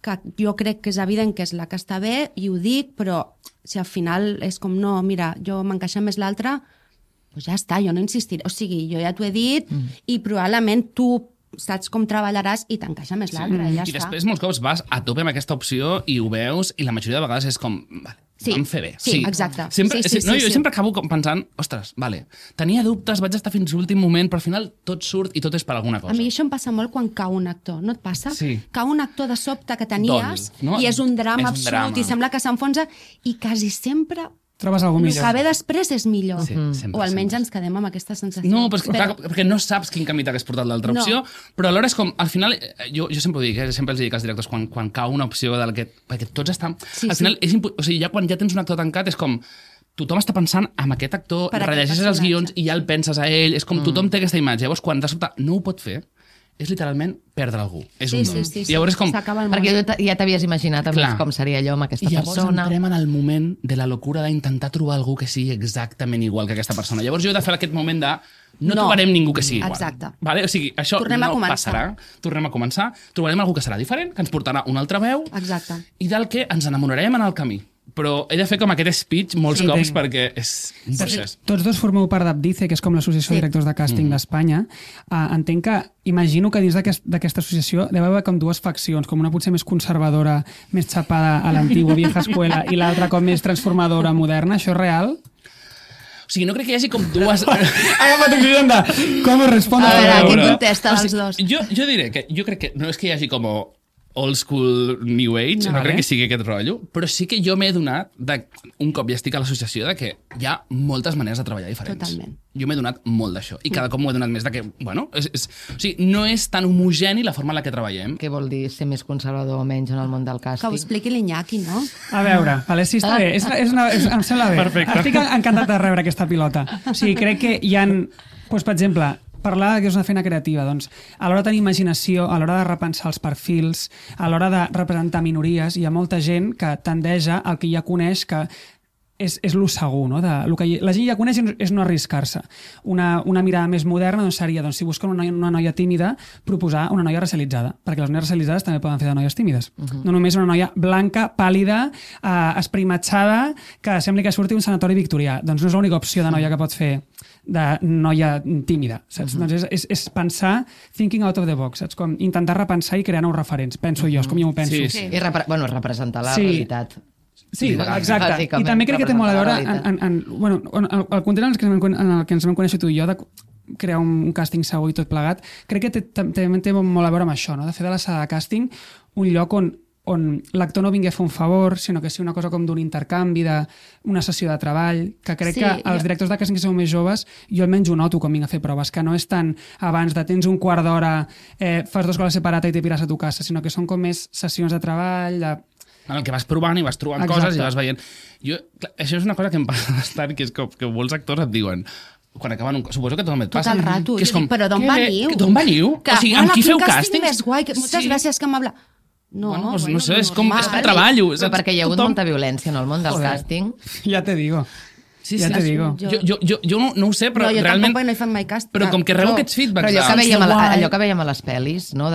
Speaker 4: que jo crec que és evident que és la que està bé, i ho dic, però si al final és com, no, mira, jo m'encaixa més l'altra, doncs ja està, jo no insistiré. O sigui, jo ja t'ho he dit i probablement tu saps com treballaràs i t'encaixa més l'altra, i ja
Speaker 1: I
Speaker 4: està.
Speaker 1: després molts cops vas a tope amb aquesta opció i ho veus i la majoria de vegades és com, vale, vam fer bé.
Speaker 4: Sí, exacte.
Speaker 1: Sempre,
Speaker 4: Sí.
Speaker 1: Jo sempre acabo pensant, ostres, vale, tenia dubtes, vaig estar fins l'últim moment, però al final tot surt i tot és per alguna cosa.
Speaker 4: A mi això em passa molt quan cau un actor, no et passa?
Speaker 1: Sí.
Speaker 4: Cau un actor de sobte que tenies
Speaker 1: no?
Speaker 4: i és un drama
Speaker 1: És un
Speaker 4: absolut
Speaker 1: drama.
Speaker 4: i sembla que s'enfonsa i quasi sempre
Speaker 3: Trobes algú
Speaker 4: el
Speaker 3: millor.
Speaker 4: que ve després és millor.
Speaker 1: Sí, sempre,
Speaker 4: O almenys
Speaker 1: sempre.
Speaker 4: ens quedem amb aquesta sensació.
Speaker 1: No, però, clar, perquè no saps quin camí t'hagués portat l'altra
Speaker 4: No.
Speaker 1: opció, però alhora és com, al final, jo sempre ho dic, sempre els dic als directors, quan cau una opció perquè tots estan...
Speaker 4: Sí,
Speaker 1: al final, o sigui, ja quan ja tens un actor tancat és com... Tothom està pensant en aquest actor,
Speaker 4: Per aquest
Speaker 1: rellegeixes els
Speaker 4: personatge.
Speaker 1: guions i ja el penses a ell, és com tothom té aquesta imatge. Llavors, quan de sobte no ho pot fer, és literalment perdre algú. És
Speaker 4: Sí,
Speaker 1: un
Speaker 4: sí,
Speaker 1: don.
Speaker 4: sí,
Speaker 1: I llavors és com...
Speaker 4: s'acaba el món.
Speaker 2: Perquè ja t'havies imaginat
Speaker 1: Clar.
Speaker 2: com seria allò amb aquesta
Speaker 1: I llavors
Speaker 2: persona.
Speaker 1: entrem en el moment de la locura d'intentar trobar algú que sigui exactament igual que aquesta persona. Llavors jo he de fer aquest moment de no trobarem ningú que sigui igual.
Speaker 4: Exacte.
Speaker 1: Vale? O sigui, això
Speaker 4: Tornem a
Speaker 1: no
Speaker 4: començar.
Speaker 1: passarà. Tornem a començar. Trobarem algú que serà diferent, que ens portarà una altra veu
Speaker 4: Exacte.
Speaker 1: i del que ens enamorarem en el camí. Però he de fer com aquest speech molts cops perquè és un procés.
Speaker 3: Tots dos formeu part d'Abdice, que és com l'associació de directors de càsting d'Espanya. Entenc que, imagino que dins d'aquesta associació deu haver com dues faccions, com una potser més conservadora, més xapada a l'antigua vieja escuela, i l'altra com més transformadora, moderna. Això és real?
Speaker 1: O sigui, no crec que hi hagi com dues...
Speaker 3: Agafa't un cridon de com es respon
Speaker 4: A veure,
Speaker 3: pregunta.
Speaker 4: qui contesta dels dos?
Speaker 1: Jo diré que jo crec que no és que hi hagi com old school new age, no crec que sigui aquest rotllo, però sí que jo m'he donat, un cop ja estic a l'associació, de que hi ha moltes maneres de treballar diferents.
Speaker 4: Totalment.
Speaker 1: Jo m'he donat molt d'això, i cada cop m'ho he donat més de que, bueno, o sigui, no és tan homogeni la forma en la que treballem.
Speaker 2: Què vol dir ser més conservador o menys en el món del
Speaker 4: Que ho
Speaker 2: càsting?
Speaker 4: expliqui l'Iñaki, no?
Speaker 3: A veure, vale, sí, està bé. Em sembla bé.
Speaker 1: Perfecte.
Speaker 3: Estic encantat de rebre aquesta pilota. O sigui, crec que hi ha... Doncs, per exemple, parlar que és una feina creativa, doncs, a l'hora de tenir imaginació, a l'hora de repensar els perfils, a l'hora de representar minories, hi ha molta gent que tendeja al que ja coneix que és lo segur, no? El que la gent ja coneix és no arriscar-se. Una mirada més moderna doncs, seria, doncs, si busquen una noia tímida, proposar una noia racialitzada, perquè les noies racialitzades també poden fer de noies tímides. No només una noia blanca, pàl·lida, esprimatxada, que sembli que surti un sanatori victorià. Doncs no és l'única opció de noia que pots fer de noia tímida, saps? Doncs és pensar thinking out of the box, saps? Com intentar repensar i crear nous referents. Penso jo, és com jo m'ho penso.
Speaker 1: Sí.
Speaker 2: I representar la
Speaker 3: Sí.
Speaker 2: realitat.
Speaker 3: Sí, exacte. I
Speaker 2: Bàsicament,
Speaker 3: també crec que té molt a veure
Speaker 2: representar
Speaker 3: el context en el que ens vam conèixer tu i jo, de crear un càsting segur i tot plegat, crec que també té molt a veure amb això, no? De fer de la sala de càsting un lloc on l'actor no vingui a fer un favor, sinó que sigui una cosa com d'un intercanvi, d'una sessió de treball, que crec que els directors de càsting que sou més joves, jo almenys ho noto quan vinc a fer proves, que no és tant abans de tens un quart d'hora, fas 2 coses separades i te pires a tu casa, sinó que són com més sessions de treball,
Speaker 1: En el que vas provant i vas trobant coses i vas veient. Clar, això és una cosa que em passa bastant, que és que molts actors et diuen quan acaben suposo que tothom et passa.
Speaker 4: Tot el rato.
Speaker 1: Que és com,
Speaker 4: Però d'on veniu?
Speaker 1: D'on veniu?
Speaker 4: Que,
Speaker 1: o sigui, amb qui feu càstings?
Speaker 4: més guai, que moltes gràcies que m'habla. No,
Speaker 1: Bueno, doncs no sé, és com
Speaker 4: normal.
Speaker 1: treballo.
Speaker 2: Però perquè hi ha hagut molta violència en el món del càsting.
Speaker 3: Ja te digo.
Speaker 1: Sí,
Speaker 3: Ja te digo.
Speaker 1: Jo no ho sé, però
Speaker 4: no, jo
Speaker 1: realment...
Speaker 4: tampoc no hi fan mai càsting.
Speaker 1: Però com que rebo aquests feedbacks...
Speaker 2: Però
Speaker 1: de-
Speaker 2: allò que veiem a les pel·lis, no?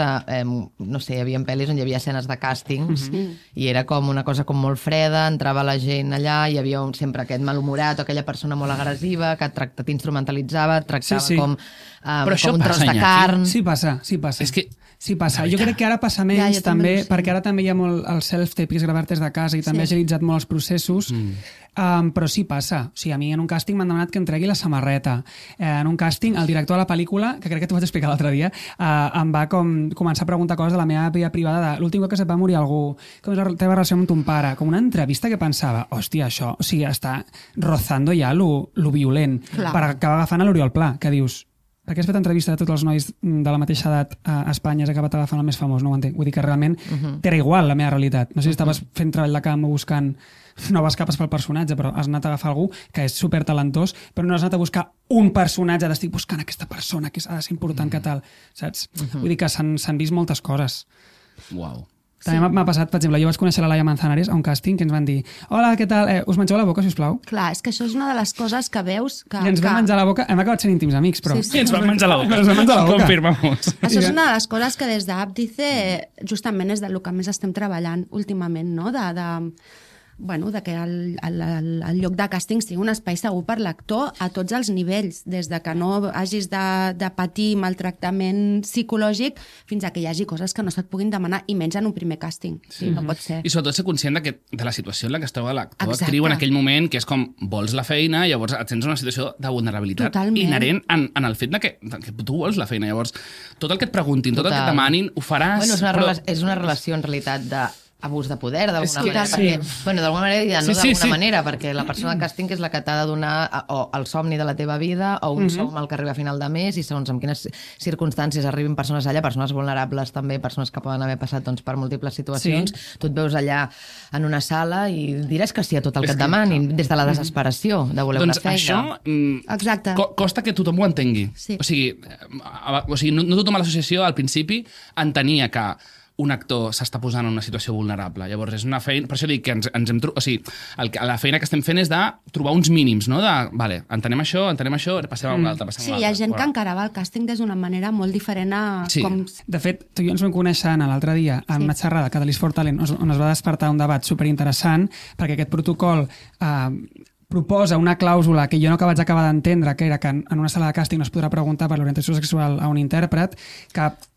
Speaker 2: No sé, hi havia pel·lis on hi havia escenes de càstings i era com una cosa com molt freda, entrava la gent allà, hi havia sempre aquest malhumorat o aquella persona molt agressiva que t'instrumentalitzava, et tractava
Speaker 3: Sí.
Speaker 2: com
Speaker 1: això
Speaker 2: un tros
Speaker 1: passa,
Speaker 2: de
Speaker 1: Iñaki.
Speaker 2: carn.
Speaker 3: Sí passa.
Speaker 1: És que...
Speaker 3: Sí, passa. Jo crec que ara passa menys,
Speaker 4: Ja, jo també
Speaker 3: també,
Speaker 4: ho sé.
Speaker 3: perquè ara també hi ha molt el self-tape, que és gravar-te des de casa, i també ha agilitzat molt els processos, però sí passa. O sigui, a mi en un càsting m'han demanat que em tregui la samarreta. En un càsting, el director de la pel·lícula, que crec que t'ho vaig explicar l'altre dia, em va començar a preguntar coses de la meva vida privada, de l'últim cop que se't va morir algú, com és la teva relació amb ton pare, com una entrevista que pensava, hòstia, això, o sigui, està rozando ja lo violent,
Speaker 4: Clar.
Speaker 3: per acabar agafant a l'Oriol Pla, que dius, per què has fet entrevista de tots els nois de la mateixa edat a Espanya, has acabat agafant el més famós, no ho entenc. Vull dir que realment t'era igual la meva realitat. No sé si estaves fent treball de camp o buscant noves capes pel personatge, però has anat a agafar algú que és supertalentós, però no has anat a buscar un personatge d'estic buscant aquesta persona que ha de ser important que tal, saps? Vull dir que s'han vist moltes coses.
Speaker 1: Uau.
Speaker 3: També m'ha passat, per exemple, jo vaig conèixer la Laia Manzanares a un càsting que ens van dir hola, què tal? Us mengeu la boca, sisplau?
Speaker 4: Clar, és que això és una de les coses que veus que...
Speaker 3: I ens vam menjar la boca, hem acabat sent íntims amics, però...
Speaker 4: Sí,
Speaker 1: I ens vam menjar la boca.
Speaker 3: Ens vam menjar la boca.
Speaker 1: Confirmamos.
Speaker 4: Això és una de les coses que des d'Abdice justament és del que més estem treballant últimament, no? de que el lloc de càsting sigui un espai segur per l'actor a tots els nivells, des de que no hagis de patir maltractament psicològic fins a que hi hagi coses que no se't puguin demanar, i menys en un primer càsting. Sí, no pot ser.
Speaker 1: I sobretot ser conscient de la situació en la que es troba l'actor actriu en aquell moment, que és com vols la feina, llavors et sents en una situació de vulnerabilitat inherent en el fet que tu vols la feina. Llavors, tot el que et preguntin, tot el que et demanin, ho faràs...
Speaker 2: Bueno, és una relació en realitat d'abús de poder, d'alguna manera. D'alguna manera i no d'alguna manera, perquè la persona de càsting és la que t'ha de donar o el somni de la teva vida o un som al que arriba a final de mes, i segons en quines circumstàncies arribin persones allà, persones vulnerables també, persones que poden haver passat per múltiples situacions, tu et veus allà en una sala i diràs que sí a tot el que et demanin, des de la desesperació de voler una feina.
Speaker 1: Doncs això costa que tothom ho entengui. O sigui, no tothom a l'associació al principi entenia que un actor s'està posant en una situació vulnerable. Llavors, és una feina... Per això dic que ens hem... O sigui, la feina que estem fent és de trobar uns mínims, no? Vale, entenem això, passem a una altra,
Speaker 4: Sí, hi ha gent que encara va al càsting des d'una manera molt diferent a com...
Speaker 3: De fet, tu i jo ens vam conèixer l'altre dia en una xerrada a Catalyst for Talent, on es va despertar un debat superinteressant, perquè aquest protocol proposa una clàusula que jo no vaig acabar d'entendre, que era que en una sala de càsting no es podrà preguntar per l'orientació sexual a un intèrpret,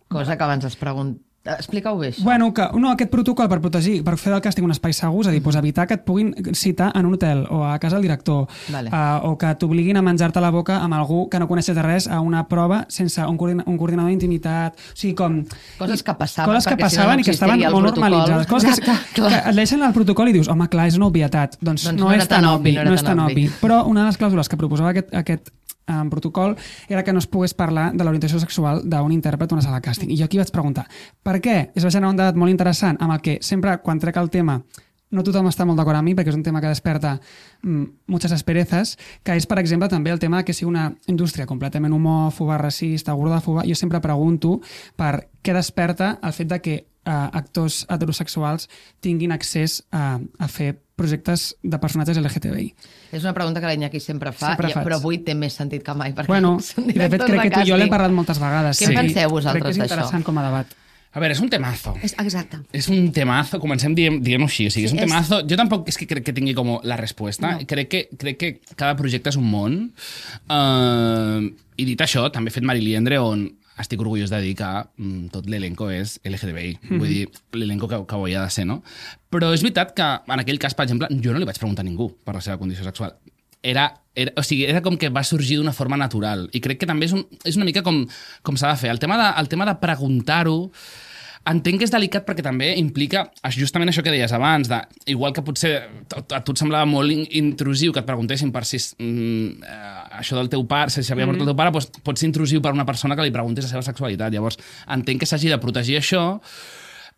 Speaker 2: cosa que abans es pregunta. Explica-ho bé, això.
Speaker 3: Bueno, aquest protocol per protegir, per fer del càsting un espai segur, és a dir, evitar que et puguin citar en un hotel o a casa del director, o que t'obliguin a menjar-te la boca amb algú que no coneixes de res a una prova sense un coordinador d'intimitat. O sigui, com...
Speaker 2: Coses que passaven
Speaker 3: i que estaven molt normalitzades. Coses que et deixen al protocol i dius, home, clar, és una obvietat. Doncs no és tan obvi. Però una de les clàusules que proposava aquest en protocol era que no es pogués parlar de l'orientació sexual d'un intèrpret a una sala de càsting. I jo aquí vaig preguntar, per què? Es va generar un debat molt interessant amb el que sempre, quan trec el tema, no tothom està molt d'acord amb mi, perquè és un tema que desperta moltes asperezas, que és, per exemple, també el tema que sigui una indústria completament homòfoba, racista, gordòfoba. Jo sempre pregunto per què desperta el fet de que actors heterosexuals tinguin accés a fer projectes de personatges LGTBI.
Speaker 2: És una pregunta que l'Iñaki sempre fa, però avui té més sentit que mai.
Speaker 3: Bueno, i de fet crec que tu i jo l'hem parlat moltes vegades.
Speaker 2: Què penseu vosaltres d'això?
Speaker 3: Crec que és interessant com a debat.
Speaker 1: A veure, és un temazo.
Speaker 4: Exacte.
Speaker 1: És un temazo, comencem dient-ho així. O sigui, és un temazo. Jo tampoc és que crec que tingui com la resposta. No. Crec que cada projecte és un món. I dit això, també he fet Mari Liendre, on estic orgullós de dir que tot l'elenco és LGTBI. Vull dir, l'elenco que ho havia de ser, no? Però és veritat que en aquell cas, per exemple, jo no li vaig preguntar a ningú per la seva condició sexual. Era com que va sorgir d'una forma natural. I crec que també és una mica com s'ha de fer. El tema de preguntar-ho, entenc que és delicat perquè també implica justament això que deies abans, igual que potser a tu et semblava molt intrusiu que et preguntessin per si això del teu pare, si s'havia mort el teu pare, doncs pot ser intrusiu per una persona que li preguntés la seva sexualitat. Llavors, entenc que s'hagi de protegir això,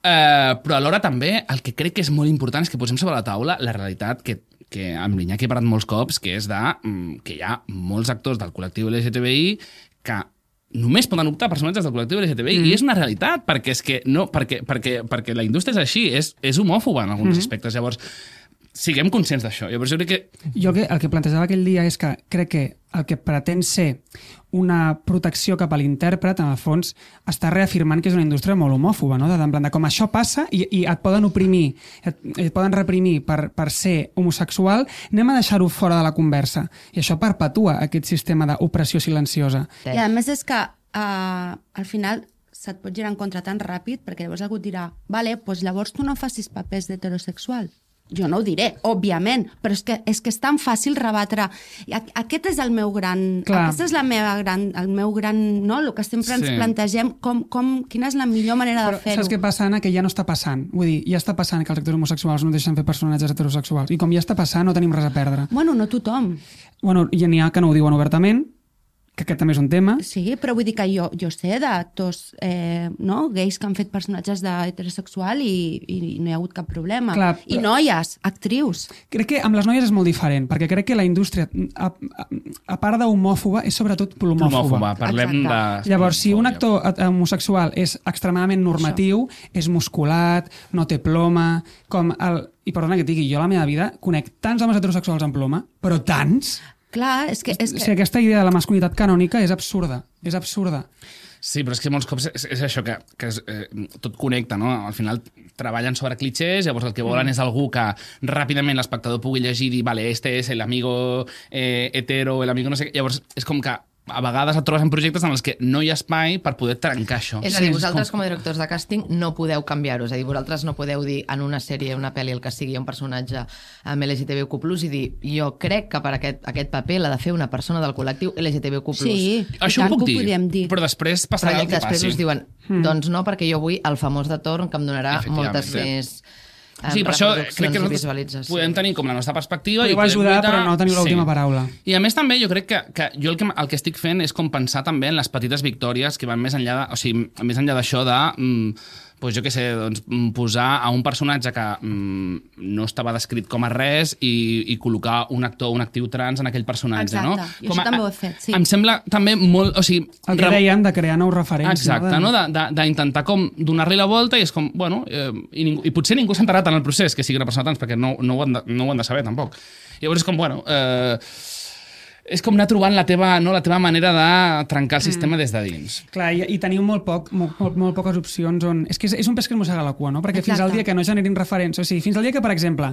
Speaker 1: però alhora també el que crec que és molt important és que posem sobre la taula la realitat que amb l'Iñaki he parlat molts cops, que és que hi ha molts actors del col·lectiu LGTBI que només poden optar personatges del col·lectiu LGTBI i és una realitat, perquè és que no, perquè la indústria és així, és homòfoba en alguns aspectes. Llavors, siguem conscients d'això. Llavors, jo crec que...
Speaker 3: Jo el que plantejava aquell dia és que crec que el que pretén ser una protecció cap a l'intèrpret, en el fons, està reafirmant que és una indústria molt homòfoba, no? En plan de com això passa i et poden oprimir, et poden reprimir per ser homosexual, anem a deixar-ho fora de la conversa. I això perpetua aquest sistema d'opressió silenciosa.
Speaker 4: I a més és que al final se't pot girar en contra tan ràpid perquè llavors algú et dirà, vale, doncs llavors tu no facis papers d'heterosexual. Jo no ho diré, òbviament, però és que és tan fàcil rebatre. Aquest és el meu gran... Aquest és el meu gran... No? El que sempre ens plantegem, quina és la millor manera de fer-ho.
Speaker 3: Saps què passa, Anna? Que ja no està passant. Vull dir, ja està passant que els actors homosexuals no deixen fer personatges heterosexuals. I com ja està passant, no tenim res a perdre.
Speaker 4: Bueno, no tothom.
Speaker 3: Bueno, ja n'hi ha que no ho diuen obertament, que aquest també és un tema.
Speaker 4: Sí, però vull dir que jo sé d'actors gais que han fet personatges d'heterosexual i no hi ha hagut cap problema. Clar, però... I noies, actrius.
Speaker 3: Crec que amb les noies és molt diferent, perquè crec que la indústria, a part d'homòfoba, és sobretot plomòfoba.
Speaker 1: Parlem de...
Speaker 3: Llavors, si un actor homosexual és extremadament normatiu, és musculat, no té ploma, i perdona que et digui, jo a la meva vida conec tants homes heterosexuals amb ploma, però tants...
Speaker 4: Clar, és que...
Speaker 3: O sigui, aquesta idea de la masculinitat canònica és absurda. És absurda.
Speaker 1: Sí, però és que molts cops és això, que tot connecta, no? Al final treballen sobre clichés, llavors el que volen és algú que ràpidament l'espectador pugui llegir i dir, vale, este es el amigo hetero, el amigo no sé què. Llavors és com que a vegades et trobes en projectes en els que no hi ha espai per poder trencar això.
Speaker 2: És a dir, vosaltres com a directors de càsting no podeu canviar-ho, és a dir, vosaltres no podeu dir en una sèrie, una pel·li, el que sigui, un personatge amb LGTBIQ+, i dir, jo crec que per aquest paper l'ha de fer una persona del col·lectiu LGTBIQ+.
Speaker 4: Sí,
Speaker 1: això ho puc dir,
Speaker 4: dir,
Speaker 1: però després passarà el que passi.
Speaker 2: Després us diuen, doncs no, perquè jo vull el famós de torn que em donarà moltes més...
Speaker 1: Sí, per això crec que nosaltres podem tenir com la nostra perspectiva.
Speaker 3: Podeu ajudar, però no teniu l'última paraula.
Speaker 1: I a més també jo crec que jo el que estic fent és com pensar també en les petites victòries que van més enllà més enllà d'això de... Pues jo què sé, doncs, posar a un personatge que no estava descrit com a res i col·locar un actor, un actiu trans en aquell personatge.
Speaker 4: Exacte,
Speaker 1: no?
Speaker 4: i això també ho he fet, sí.
Speaker 1: Em sembla també molt... O sigui,
Speaker 3: el que dèiem de crear nous referents.
Speaker 1: Exacte, no? D'intentar com donar-li la volta i és com, bueno, i potser ningú s'ha enterat en el procés que sigui una persona trans, perquè no ho han de saber tampoc. Llavors és com, bueno... és com anar trobant la teva manera de trencar el sistema des de dins.
Speaker 3: Clar, i teniu molt poques opcions on... És que és un pes que es mossega la cua, no? Perquè fins al dia que no generin referents, o sigui, fins al dia que, per exemple,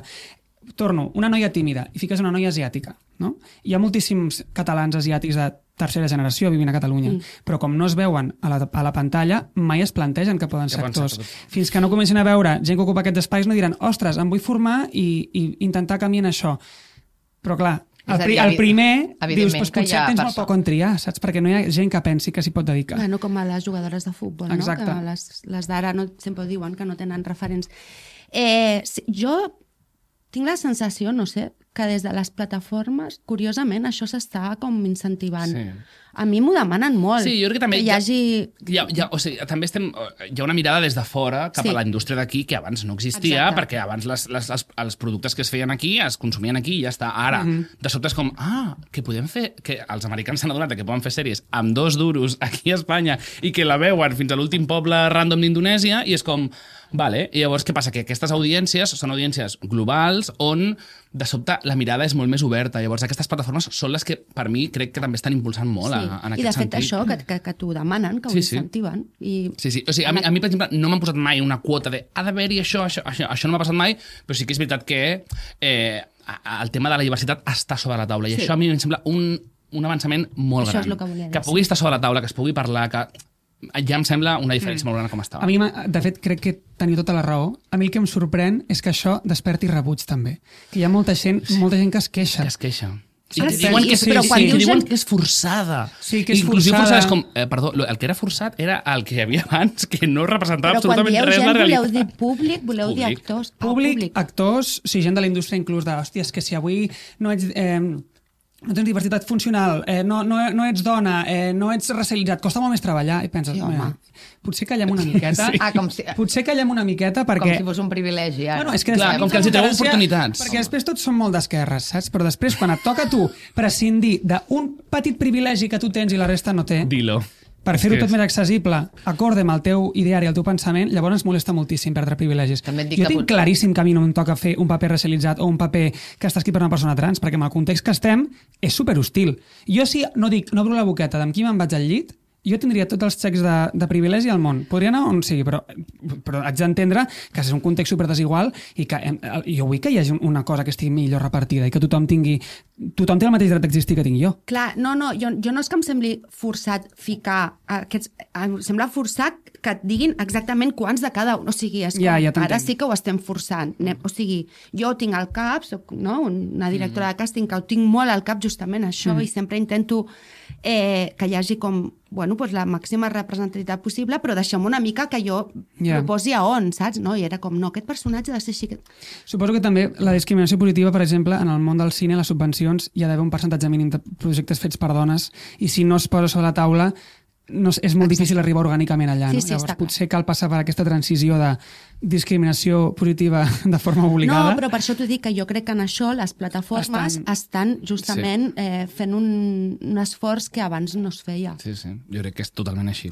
Speaker 3: torno, una noia tímida i fiques una noia asiàtica, no? Hi ha moltíssims catalans asiàtics de tercera generació vivint a Catalunya, però com no es veuen a la pantalla, mai es plantegen que poden ser actors. Fins que no comencin a veure gent que ocupa aquests espais no diran, ostres, em vull formar i intentar canviar això. Però clar, el primer, dius, doncs potser tens molt poc on triar, saps? Perquè no hi ha gent que pensi que s'hi pot dedicar.
Speaker 4: Bueno, com a les jugadores de futbol, no? Que les d'ara sempre diuen que no tenen referents. Jo tinc la sensació, no sé, que des de les plataformes, curiosament, això s'està com incentivant. Sí. A mi m'ho demanen molt.
Speaker 1: Sí, jo crec que també
Speaker 4: hi hagi...
Speaker 1: també hi ha una mirada des de fora cap a la indústria d'aquí que abans no existia, perquè abans els productes que es feien aquí es consumien aquí i ja està. Ara, de sobte és com, que podem fer... Que els americans s'han adonat que poden fer sèries amb 2 duros aquí a Espanya i que la veuen fins a l'últim poble random d'Indonèsia i és com... Vale. I llavors què passa? Que aquestes audiències són audiències globals on de sobte la mirada és molt més oberta. Llavors aquestes plataformes són les que per mi crec que també estan impulsant molt en aquest sentit.
Speaker 4: I de fet això que t'ho demanen, que ho incentiven.
Speaker 1: Sí. O sigui, a mi per exemple no m'han posat mai una quota de ha d'haver-hi això no m'ha passat mai, però sí que és veritat que el tema de la diversitat està sobre la taula i això a mi em sembla un avançament molt gran.
Speaker 4: Això és el que volia dir.
Speaker 1: Que pugui estar sobre la taula, que es pugui parlar, que ja em sembla una diferència molt gran com estava.
Speaker 3: A mi, de fet, crec que teniu tota la raó. A mi el que em sorprèn és que això desperti rebuig, també. Que hi ha molta gent que es queixa.
Speaker 1: Que es queixa. I que diuen que és forçada.
Speaker 3: Sí, que és
Speaker 1: inclusive
Speaker 3: forçada.
Speaker 1: És com, perdó, el que era forçat era el que hi havia abans, que no representava absolutament res la realitat.
Speaker 4: Però quan dieu gent, voleu dir públic, voleu dir actors?
Speaker 3: Públic, actors, gent de la indústria inclús de, hòstia, és que si avui no ets... no tens diversitat funcional, no ets dona, no ets racialitzat, costa molt més treballar, i penses, potser callem una miqueta, potser callem una miqueta perquè...
Speaker 2: Com si fos un privilegi, ara.
Speaker 3: Bueno, és que
Speaker 1: clar, com que els hi treu oportunitats.
Speaker 3: Perquè després tots són molt d'esquerres, saps? Però després, quan et toca a tu prescindir d'un petit privilegi que tu tens i la resta no té...
Speaker 1: Dilo.
Speaker 3: Per fer-ho tot més accessible, acorde amb el teu ideari, el teu pensament, llavors ens molesta moltíssim perdre privilegis. Jo tinc claríssim que a mi no em toca fer un paper racialitzat o un paper que està escrit per una persona trans, perquè en el context que estem és superhostil. Jo si no obro la boqueta d'amb qui me'n vaig al llit, jo tindria tots els xecs de privilegi al món. Podria anar on sigui, però haig d'entendre que és un context superdesigual i que jo vull que hi hagi una cosa que estigui millor repartida i que tothom té el mateix dret d'existir que tinc jo.
Speaker 4: Clar, jo no és que em sembli forçat ficar aquests... Em sembla forçat que et diguin exactament quants de cada un. O sigui, és com, ara sí que ho estem forçant. O sigui, jo ho tinc al cap, soc una directora de càsting que ho tinc molt al cap justament això i sempre intento que hi hagi com la màxima representativitat possible, però deixem una mica que jo proposi a on, saps? No? I era com, aquest personatge ha de ser així.
Speaker 3: Suposo que també la discriminació positiva, per exemple, en el món del cine, les subvencions, hi ha d'haver un percentatge mínim de projectes fets per dones, i si no es posa sobre la taula, és molt difícil arribar orgànicament allà. Llavors potser cal passar per aquesta transició de discriminació positiva de forma obligada.
Speaker 4: No, però per això t'ho dic, que jo crec que en això les plataformes estan justament fent un esforç que abans no es feia.
Speaker 1: Sí, jo crec que és totalment així.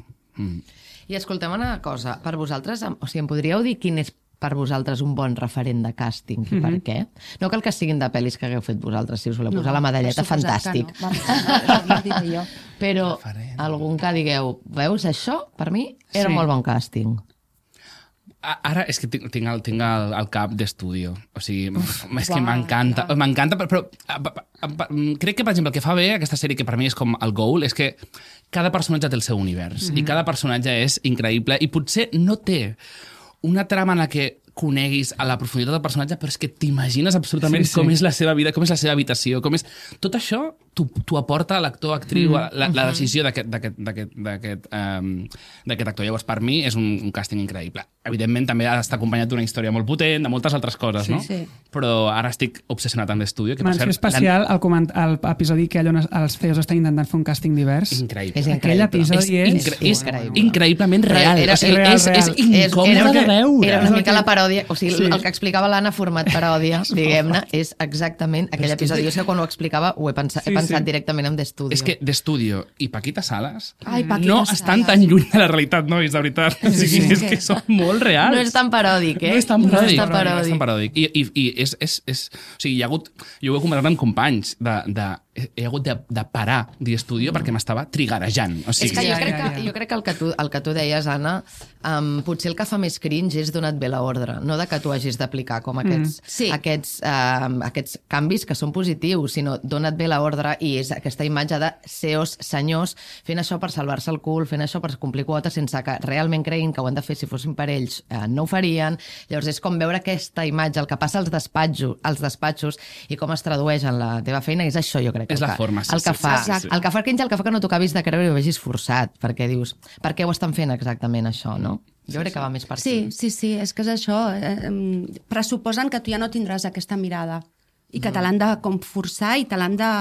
Speaker 2: I escoltem una cosa, per vosaltres, o sigui, em podríeu dir quin és per vosaltres un bon referent de càsting i per què? No cal que siguin de pel·lis que hagueu fet vosaltres, si us voleu posar la medalleta, fantàstic.
Speaker 4: No.
Speaker 2: Però algun que digueu, veus, això per mi era molt bon càsting.
Speaker 1: Ara és que tinc el cap d'estudio. O sigui, és que m'encanta, però crec que, per exemple, el que fa bé aquesta sèrie, que per mi és com el goal, és que cada personatge té el seu univers i cada personatge és increïble i potser no té una trama en la que coneguis a la profunditat del personatge, però és que t'imagines absolutament com és la seva vida, com és la seva habitació, com és... Tot això t'ho aporta l'actor, actriu, la decisió d'aquest actor. Llavors, per mi, és un càsting increïble. Evidentment, també ha d'estar acompanyat d'una història molt potent, de moltes altres coses, no?
Speaker 4: Sí.
Speaker 1: Però ara estic obsessionat amb l'estudi.
Speaker 3: Menció especial l'episodi que allò els CEOs estan intentant fer un càsting divers.
Speaker 1: Increïble.
Speaker 3: Aquell episodi
Speaker 1: és increïblement real. És incòmode de veure.
Speaker 2: Era una mica la paròdia, o sigui, el que explicava l'Anna format paròdia, diguem-ne, és exactament aquell episodi. Jo sé que quan ho explicava ho he pensat directament en d'Estudio.
Speaker 1: És que d'Estudio i Paquita Salas
Speaker 4: no
Speaker 1: estan tan lluny de la realitat, nois, de veritat. És que són molt reals.
Speaker 2: No és tan paròdic,
Speaker 1: No és tan paròdic. I és... O sigui, jo ho he comentat amb companys he hagut de parar d'Estudio perquè m'estava trigarejant. O sigui,
Speaker 2: és que jo crec que el que tu deies, Anna, potser el que fa més cringe és donat bé l'ordre, no de que tu hagis d'aplicar com aquests canvis que són positius, sinó donat bé l'ordre i és aquesta imatge de CEOs senyors fent això per salvar-se el cul, fent això per complir quotes sense que realment creguin que ho han de fer si fossin per ells, no ho farien. Llavors és com veure aquesta imatge, el que passa als despatxos i com es tradueix en la teva feina, és això, jo crec.
Speaker 1: És la forma,
Speaker 2: el que fa cringe, el que fa que no t'ho acabis de creure i ho vegis forçat, perquè dius, per què ho estan fent exactament això, no? Jo crec que va més per aquí.
Speaker 4: Sí, és que és això. Pressuposen que tu ja no tindràs aquesta mirada i que te l'han de com forçar i te l'han de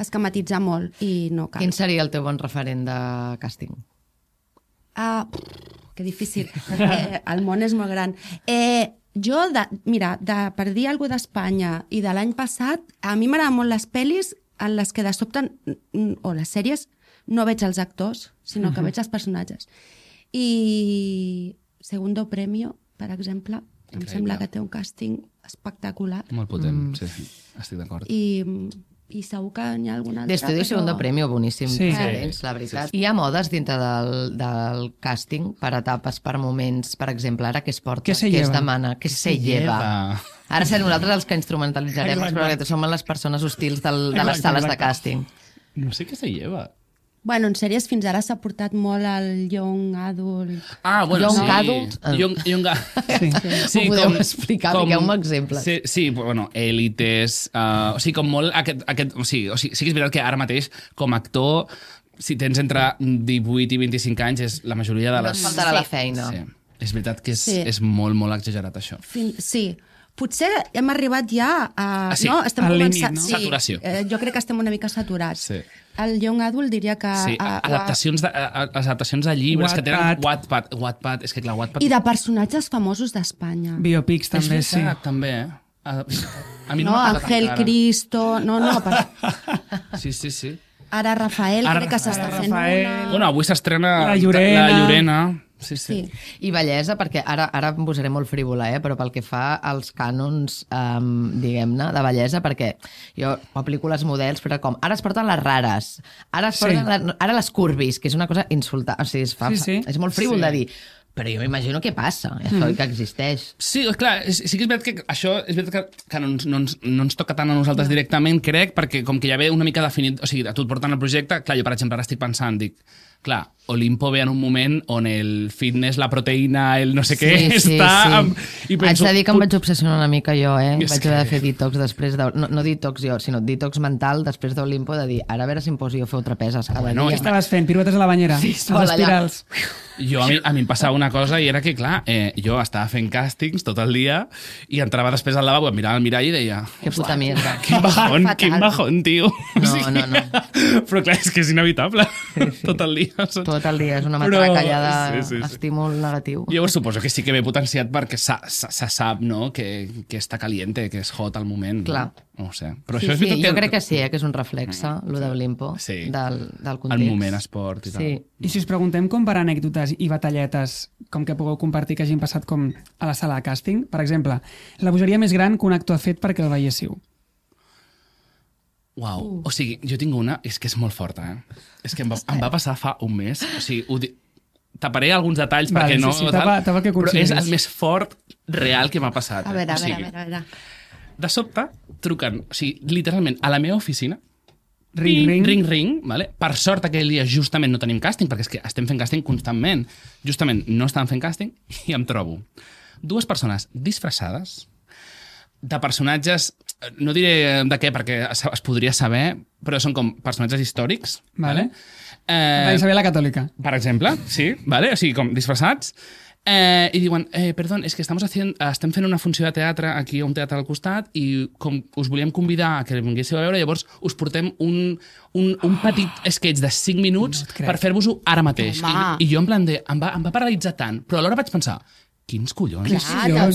Speaker 4: esquematitzar molt i no cal.
Speaker 2: Quin seria el teu bon referent de càsting?
Speaker 4: Que difícil. El món és molt gran. Jo, per dir alguna cosa d'Espanya i de l'any passat, a mi m'agraden molt les pel·lis en les que de sobte, o les sèries, no veig els actors, sinó que veig els personatges. I Segundo Premio, per exemple, em sembla que té un càsting espectacular.
Speaker 1: Molt potent, sí, estic d'acord.
Speaker 4: I segur que n'hi ha alguna altra.
Speaker 2: D'Estudio Segundo Premio, boníssim. Sí, la veritat. Hi ha modes dintre del càsting per etapes, per moments, per exemple, ara què es porta, què es demana, què se lleva. Ara serem nosaltres els que instrumentalitzarem, però que som les persones hostils de les sales de càsting.
Speaker 1: No sé què se lleva.
Speaker 4: Bueno, en sèries fins ara s'ha portat molt el young adult.
Speaker 2: Young adult?
Speaker 4: Sí.
Speaker 2: Ho podeu explicar, digueu-me exemples.
Speaker 1: Sí, bueno, Èlites, o sigui, com molt o sigui, sí que és veritat que ara mateix, com a actor, si tens entre 18 i 25 anys, és la majoria de les...
Speaker 2: No et faltarà la feina.
Speaker 1: Sí. És veritat que és molt, molt exagerat, això.
Speaker 4: Sí. Potser hem arribat ja a...
Speaker 3: Estem al límit, no?
Speaker 1: Saturació.
Speaker 4: Jo crec que estem una mica saturats.
Speaker 1: Sí.
Speaker 4: El young adult diria que...
Speaker 1: Sí, les adaptacions de llibres que tenen Wattpad, és que clar, Wattpad...
Speaker 4: I de personatges famosos d'Espanya.
Speaker 3: Biopics també,
Speaker 1: sí. També, A mi
Speaker 4: no Ángel Cristo... No.
Speaker 1: Sí.
Speaker 4: Ara Rafael, crec que s'està fent una...
Speaker 1: Bueno, avui s'estrena
Speaker 3: La Llorena.
Speaker 1: Sí.
Speaker 2: I bellesa, perquè ara em posaré molt frívola, però pel que fa als cànons, diguem-ne, de bellesa, perquè jo aplico les models, però com, ara es porten les rares, ara les curvis, que és una cosa insultant, o sigui, és molt frívol de dir, però jo m'imagino què passa, això que existeix.
Speaker 1: Sí, clar, sí que és veritat que això és veritat que no ens toca tant a nosaltres directament, crec, perquè com que ja ve una mica definit, o sigui, a tu et porten el projecte, clar, jo per exemple ara estic pensant, dic, clar, Olimpo ve en un moment on el fitness, la proteïna, el no sé què, està...
Speaker 2: I penso, haig de dir que em vaig obsessionar una mica jo, Vaig haver de fer detox després de... No detox jo, sinó detox mental després d'Olimpo, de dir, ara a veure si em poso jo a fer trapeses cada dia.
Speaker 3: Què estaves fent? Piruetes a la banyera?
Speaker 2: Sí,
Speaker 3: als espirals.
Speaker 1: Jo, a mi em passava una cosa i era que, clar, jo estava fent càstings tot el dia i entrava després al lavabo, em mirava al mirall i deia...
Speaker 2: Que puta mierda.
Speaker 1: Quin bajón, tio.
Speaker 2: No.
Speaker 1: Però clar, és que és inevitable. Tot el dia.
Speaker 2: Tot el dia, és una matracallada d'estímul negatiu.
Speaker 1: Jo suposo que sí que ve potenciat perquè se sap, no?, que està caliente, que és hot al moment.
Speaker 2: Clar.
Speaker 1: No ho sé. Però això és veritat que...
Speaker 2: Jo crec que sí, que és un reflexe, lo d'Olimpo, del context.
Speaker 1: El moment esport i tal.
Speaker 3: I si us preguntem com per anècdotes i batalletes com que pugueu compartir que hagin passat com a la sala de càsting. Per exemple, la bogeria més gran que un actor ha fet perquè el veiéssiu.
Speaker 1: Uau, o sigui, jo tinc una, és que és molt forta, És que em va passar fa un mes, o sigui, taparé alguns detalls perquè no...
Speaker 3: Tapa el que
Speaker 1: però és
Speaker 3: consideris.
Speaker 1: el més fort real que m'ha passat.
Speaker 4: A veure,
Speaker 1: O sigui,
Speaker 4: a veure.
Speaker 1: De sobte, truquen, o sigui, literalment, a la meva oficina,
Speaker 3: Ring.
Speaker 1: vale? Per sort aquell dia justament no tenim càsting, perquè és que estem fent càsting constantment. Justament no estàvem fent càsting i em trobo 2 persones disfressades de personatges, no diré de què perquè es podria saber, però són com personatges històrics.
Speaker 3: Vale. Isabel la Catòlica.
Speaker 1: Per exemple, sí, vale? O sigui, com disfressats. I diuen, perdó, és que estem fent una funció de teatre aquí a un teatre al costat i com us volíem convidar a que vinguéssiu a veure, llavors us portem un petit sketch de 5 minuts per fer-vos-ho ara mateix. I jo en plan em va paralitzar tant, però alhora vaig pensar, quins collons?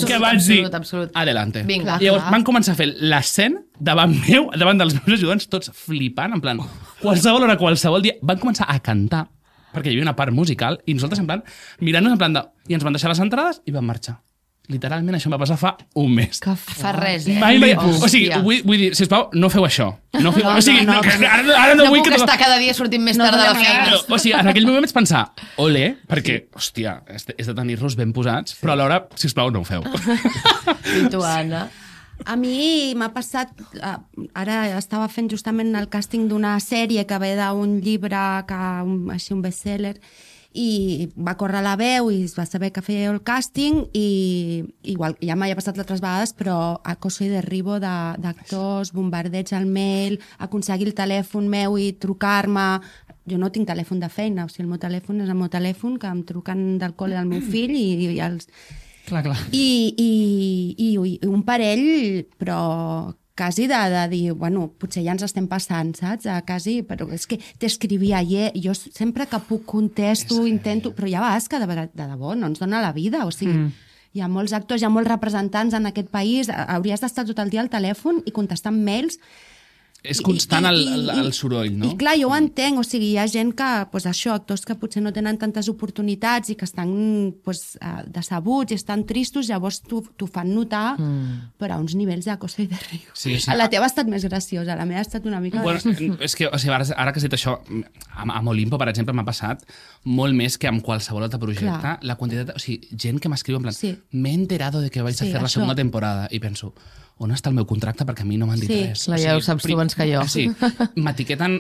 Speaker 1: Què vaig dir?
Speaker 2: Absolut.
Speaker 1: Adelante.
Speaker 2: Vinga.
Speaker 1: I llavors van començar a fer l'escena davant meu, davant dels meus ajudants, tots flipant, en plan, qualsevol hora, qualsevol dia, van començar a cantar perquè hi havia una part musical, i nosaltres en plan, mirant-nos en plan de... I ens van deixar les entrades i van marxar. Literalment, això em va passar fa un mes.
Speaker 2: Que fa res,
Speaker 1: Mai, o sigui, vull dir, sisplau, no feu això. No feu, o sigui, ara no vull
Speaker 2: puc
Speaker 1: que...
Speaker 2: estar cada dia sortint més tard de la feina.
Speaker 1: O sigui, en aquell moment vaig pensar, ole, perquè, hòstia, és de tenir-los ben posats, però alhora, sisplau, no ho feu.
Speaker 2: I tu, Anna?
Speaker 4: A mi m'ha passat... Ara estava fent justament el càsting d'una sèrie que ve d'un llibre, així un bestseller, i va córrer la veu i es va saber que feia el càsting i igual, ja m'havia passat altres vegades, però acoso i derribo d'actors, bombardeig al mail, aconseguir el telèfon meu i trucar-me. Jo no tinc telèfon de feina, o sigui, el meu telèfon és el meu telèfon, que em truquen del col·le del meu fill i els...
Speaker 3: Clar.
Speaker 4: I un parell, però quasi de dir, bueno, potser ja ens estem passant, saps? Quasi, però és que t'escrivia jo sempre que puc contesto, intento, però hi ha vegades que de debò no ens dona la vida, o sigui, hi ha molts actors, hi ha molts representants en aquest país, hauries d'estar tot el dia al telèfon i contestant mails.
Speaker 1: És constant el soroll, no?
Speaker 4: I clar, jo ho entenc, o sigui, hi ha gent que, doncs això, actors que potser no tenen tantes oportunitats i que estan decebuts i estan tristos, llavors t'ho fan notar, però a uns nivells d'acoso i de riu.
Speaker 1: Sí.
Speaker 4: La teva ha estat més graciosa, la meva ha estat una mica...
Speaker 1: Bueno, és que, o sigui, ara que has dit això, amb Olimpo, per exemple, m'ha passat molt més que amb qualsevol altre projecte.
Speaker 4: Clar.
Speaker 1: La quantitat, o sigui, gent que m'escriu en plan,
Speaker 4: Sí.
Speaker 1: m'he enterado de que vais a fer la
Speaker 4: això.
Speaker 1: segona temporada, i penso, on està el meu contracte? Perquè a mi no m'han dit res.
Speaker 2: Clar, ja ho saps tu abans que jo.
Speaker 1: Sí, m'etiqueten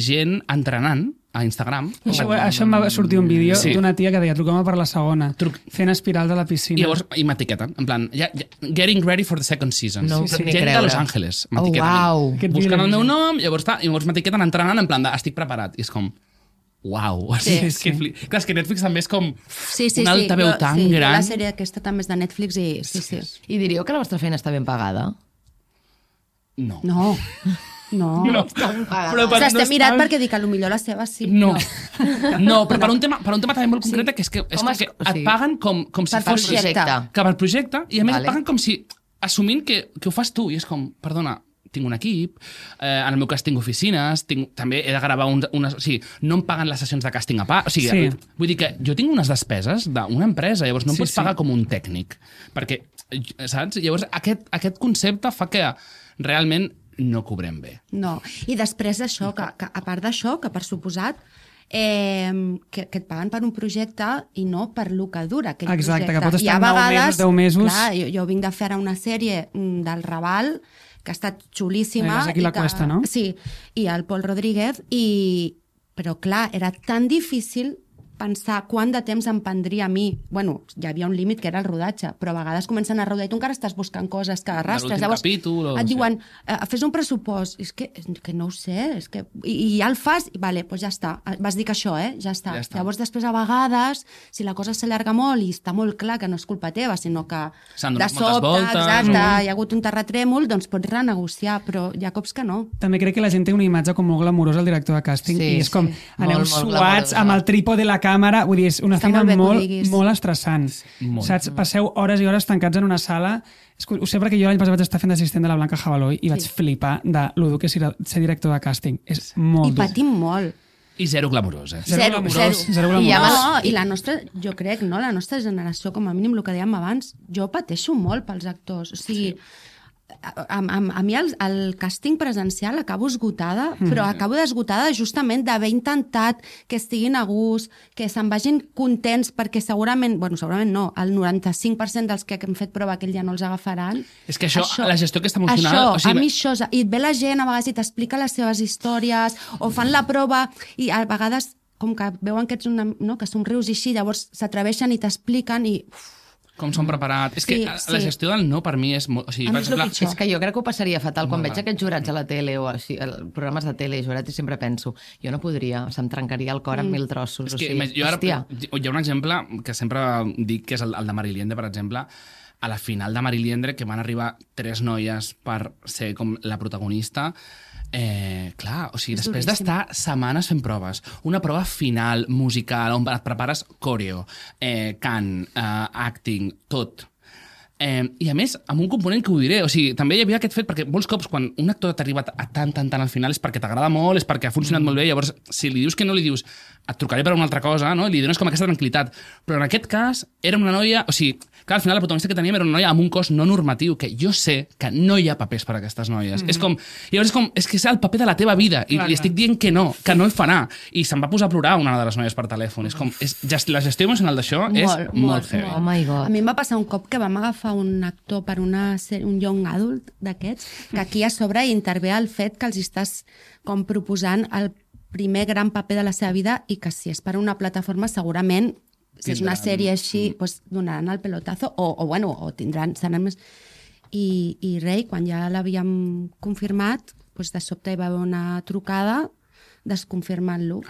Speaker 1: gent entrenant a Instagram.
Speaker 3: Això em va sortir un vídeo d'una tia que deia, truqueu-me per la segona, fent espirals a la piscina.
Speaker 1: I llavors m'etiqueten, en plan, getting ready for the second season.
Speaker 2: No ho puc ni
Speaker 1: Gent
Speaker 2: creure.
Speaker 1: de Los Angeles
Speaker 2: Oh,
Speaker 1: m'etiqueten.
Speaker 2: uau.
Speaker 1: Buscant el meu nom, llavors m'etiqueten entrenant, en plan de, estic preparat. I és com, uau. O sigui, clar, és que Netflix també és com una altaveu tan gran.
Speaker 4: La sèrie aquesta també és de Netflix i sí.
Speaker 2: I diríeu que la vostra feina està ben pagada?
Speaker 1: No.
Speaker 4: No.
Speaker 1: Però
Speaker 4: S'està mirat perquè dic que potser la seva sí.
Speaker 1: No, però per un tema també molt concret, que és que et paguen com si
Speaker 4: Per
Speaker 1: fos...
Speaker 4: projecte.
Speaker 1: Que per projecte, i a més
Speaker 2: Vale.
Speaker 1: et paguen com si... Assumint que ho fas tu, i és com, perdona, tinc un equip, en el meu cas tinc oficines, també he de gravar o sigui, no em paguen les sessions de càsting a part, o sigui, vull dir que jo tinc unes despeses d'una empresa, llavors no em pots pagar com un tècnic, perquè, saps? Llavors aquest concepte fa que realment no cobrem bé.
Speaker 4: No, i després això, que a part d'això, que per suposat, que et paguen per un projecte i no per lo que dura aquell
Speaker 3: Exacte,
Speaker 4: projecte.
Speaker 3: que pot estar
Speaker 4: I a
Speaker 3: 9 mesos, 10 mesos...
Speaker 4: Clar, jo vinc de fer ara una sèrie del Raval, que ha estat xulíssima.
Speaker 3: Aquí la Cuesta, no?
Speaker 4: Sí, i el Pol Rodríguez, però clar, era tan difícil pensar quant de temps em prendria a mi. Bueno, hi havia un límit que era el rodatge, però a vegades comencen a rodar i tu encara estàs buscant coses que arrastres. Llavors et diuen, fes un pressupost. És que no ho sé, és que... I ja el fas, i vale, doncs ja està. Vas dir que això, ja està. Llavors després a vegades, si la cosa s'allarga molt i està molt clar que no és culpa teva, sinó que de sobte, exacte, hi ha hagut un terratrèmol, doncs pots renegociar, però hi ha cops que no.
Speaker 3: També crec que la gent té una imatge com molt glamurosa al director de càsting i és com, aneu suats amb el trípode de la càmera, vull dir, és una feina molt estressant. Saps? Passeu hores i hores tancats en una sala. Ho sé perquè jo l'any passat vaig estar fent d'assistent de la Blanca Jabaloi i vaig flipar de lo dur que és ser director de càsting. És molt dur.
Speaker 4: I patim molt.
Speaker 1: I zero glamurós,
Speaker 3: Zero glamurós.
Speaker 4: I la nostra, jo crec, no? La nostra generació, com a mínim, el que dèiem abans, jo pateixo molt pels actors. O sigui, a mi el càsting presencial acabo esgotada, però acabo desgotada justament d'haver intentat que estiguin a gust, que se'n vagin contents, perquè segurament no, el 95% dels que hem fet prova aquell dia no els agafaran.
Speaker 1: És que això la gestió aquesta emocional...
Speaker 4: A mi això, i et ve la gent a vegades i t'explica les seves històries, o fan la prova, i a vegades com que veuen que ets que somrius i així, llavors s'atreveixen i t'expliquen i...
Speaker 1: Com s'han preparat. És que la gestió del no per mi és molt... O sigui, per exemple,
Speaker 2: és que jo crec que ho passaria fatal. Quan veig aquests jurats a la tele o així, programes de tele i jurats, i sempre penso, jo no podria, se'm trencaria el cor en 1000 trossos.
Speaker 1: És que, hi ha un exemple que sempre dic, que és el de Mariliendre, per exemple. A la final de Mariliendre, que van arribar 3 noies per ser com la protagonista, clar, o sigui, després d'estar setmanes fent proves, una prova final musical on et prepares coreo, cant, acting, tot. I a més, amb un component que ho diré, o sigui, també hi havia aquest fet, perquè molts cops quan un actor t'arriba a tant al final és perquè t'agrada molt, és perquè ha funcionat molt bé, llavors si li dius que no li dius et trucaré per una altra cosa, no? Li dones com aquesta tranquil·litat. Però en aquest cas era una noia... O sigui, clar, al final la protagonista que teníem era una noia amb un cos no normatiu, que jo sé que no hi ha papers per a aquestes noies. És com... Llavors és que és el paper de la teva vida i li estic dient que no el farà. I se'n va posar a plorar una de les noies per telèfon. És com... La gestió emocional d'això és molt heavy.
Speaker 2: Oh my God.
Speaker 4: A mi em va passar un cop que vam agafar un actor per un young adult d'aquests, que aquí a sobre intervé el fet que els estàs com proposant el primer gran paper de la seva vida i que si és per una plataforma segurament, si és una sèrie així, doncs donaran el pelotazo o tindran, seran més... I res, quan ja l'havíem confirmat, doncs de sobte hi va haver una trucada desconfirmant-lo.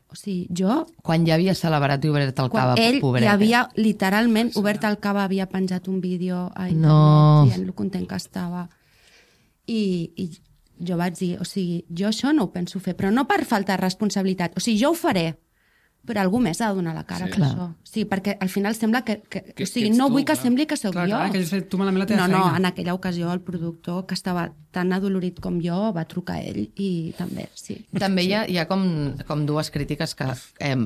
Speaker 4: O sigui, jo...
Speaker 2: Quan ja havia celebrat i obert el cava, pobret.
Speaker 4: Ell ja havia, literalment, obert el cava, havia penjat un vídeo a internet dient lo content que estava. I jo vaig dir, o sigui, jo això no ho penso fer, però no per falta de responsabilitat. O sigui, jo ho faré, però algú més ha de donar la cara per això. O sigui, perquè al final sembla que o sigui, no vull que sembli que sóc jo.
Speaker 3: Clar, que has fet tu malament la teva feina.
Speaker 4: No, en aquella ocasió el productor, que estava tan adolorit com jo, va trucar a ell i també, sí.
Speaker 2: També hi ha com dues crítiques que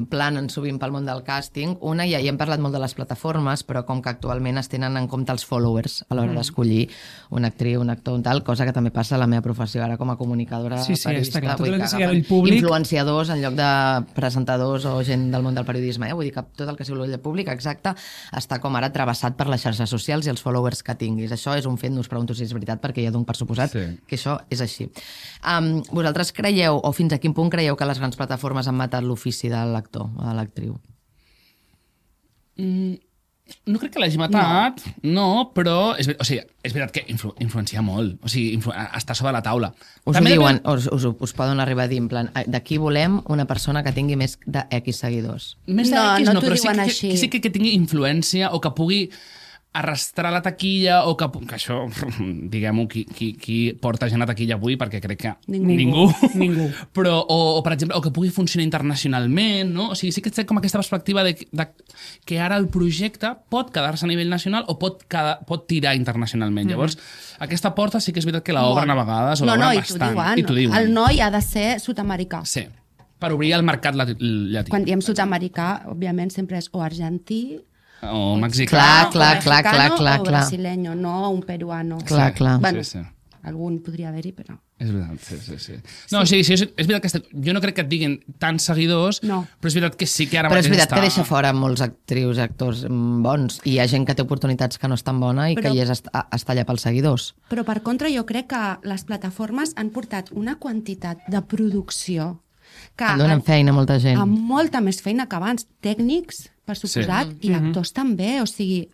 Speaker 2: planen sovint pel món del càsting. Una, ja hi hem parlat molt de les plataformes, però com que actualment es tenen en compte els followers a l'hora d'escollir una actriu, un actor, un tal, cosa que també passa a la meva professió ara com a comunicadora, periodista.
Speaker 3: Tot el que sigui el públic...
Speaker 2: Influenciadors en lloc de presentadors o gent del món del periodisme. Vull dir que tot el que sigui el públic, exacte, està com ara travessat per les xarxes socials i els followers que tinguis. Això és un fet, no us pregunto si és veritat, perquè ja dono per suposat que això és així. Vosaltres creieu, o fins a quin punt creieu que les grans plataformes han matat l'ofici de l'actor o de l'actriu?
Speaker 1: No crec que l'hagi matat, no, però és veritat que influencia molt, o sigui, està sobre la taula.
Speaker 2: Us ho diuen, us poden arribar a dir, en plan, d'aquí volem una persona que tingui més de X seguidors.
Speaker 1: Més de X no, però
Speaker 4: així.
Speaker 1: sí que tingui influència o que pugui arrastrar la taquilla o que això, diguem-ho, qui porta gent a taquilla avui, perquè crec que ningú. Però, o per exemple, o que pugui funcionar internacionalment, no? O sigui, sí que té com aquesta perspectiva de que ara el projecte pot quedar-se a nivell nacional o pot tirar internacionalment. Llavors, aquesta porta sí que és veritat que l'obren a vegades, o l'obren bastant.
Speaker 4: I t'ho diuen. El noi ha de ser sud-americà.
Speaker 1: Sí, per obrir el mercat llatí.
Speaker 4: Quan diem sud-americà, òbviament, sempre és o argentí,
Speaker 1: o mexicà,
Speaker 4: o brasileño, no un peruano.
Speaker 2: Clar.
Speaker 4: Bueno, algun podria haver-hi, però...
Speaker 1: És veritat, sí. No, sí, és veritat que jo no crec que et diguin tants seguidors, però és veritat que sí que ara
Speaker 2: mateix està... Però és veritat que deixa fora molts actrius i actors bons, i hi ha gent que té oportunitats que no és tan bona i que hi està allà pels seguidors.
Speaker 4: Però per contra jo crec que les plataformes han portat una quantitat de producció que
Speaker 2: donen feina a molta gent.
Speaker 4: Amb molta més feina que abans, tècnics, per suposat, i actors també, o sigui...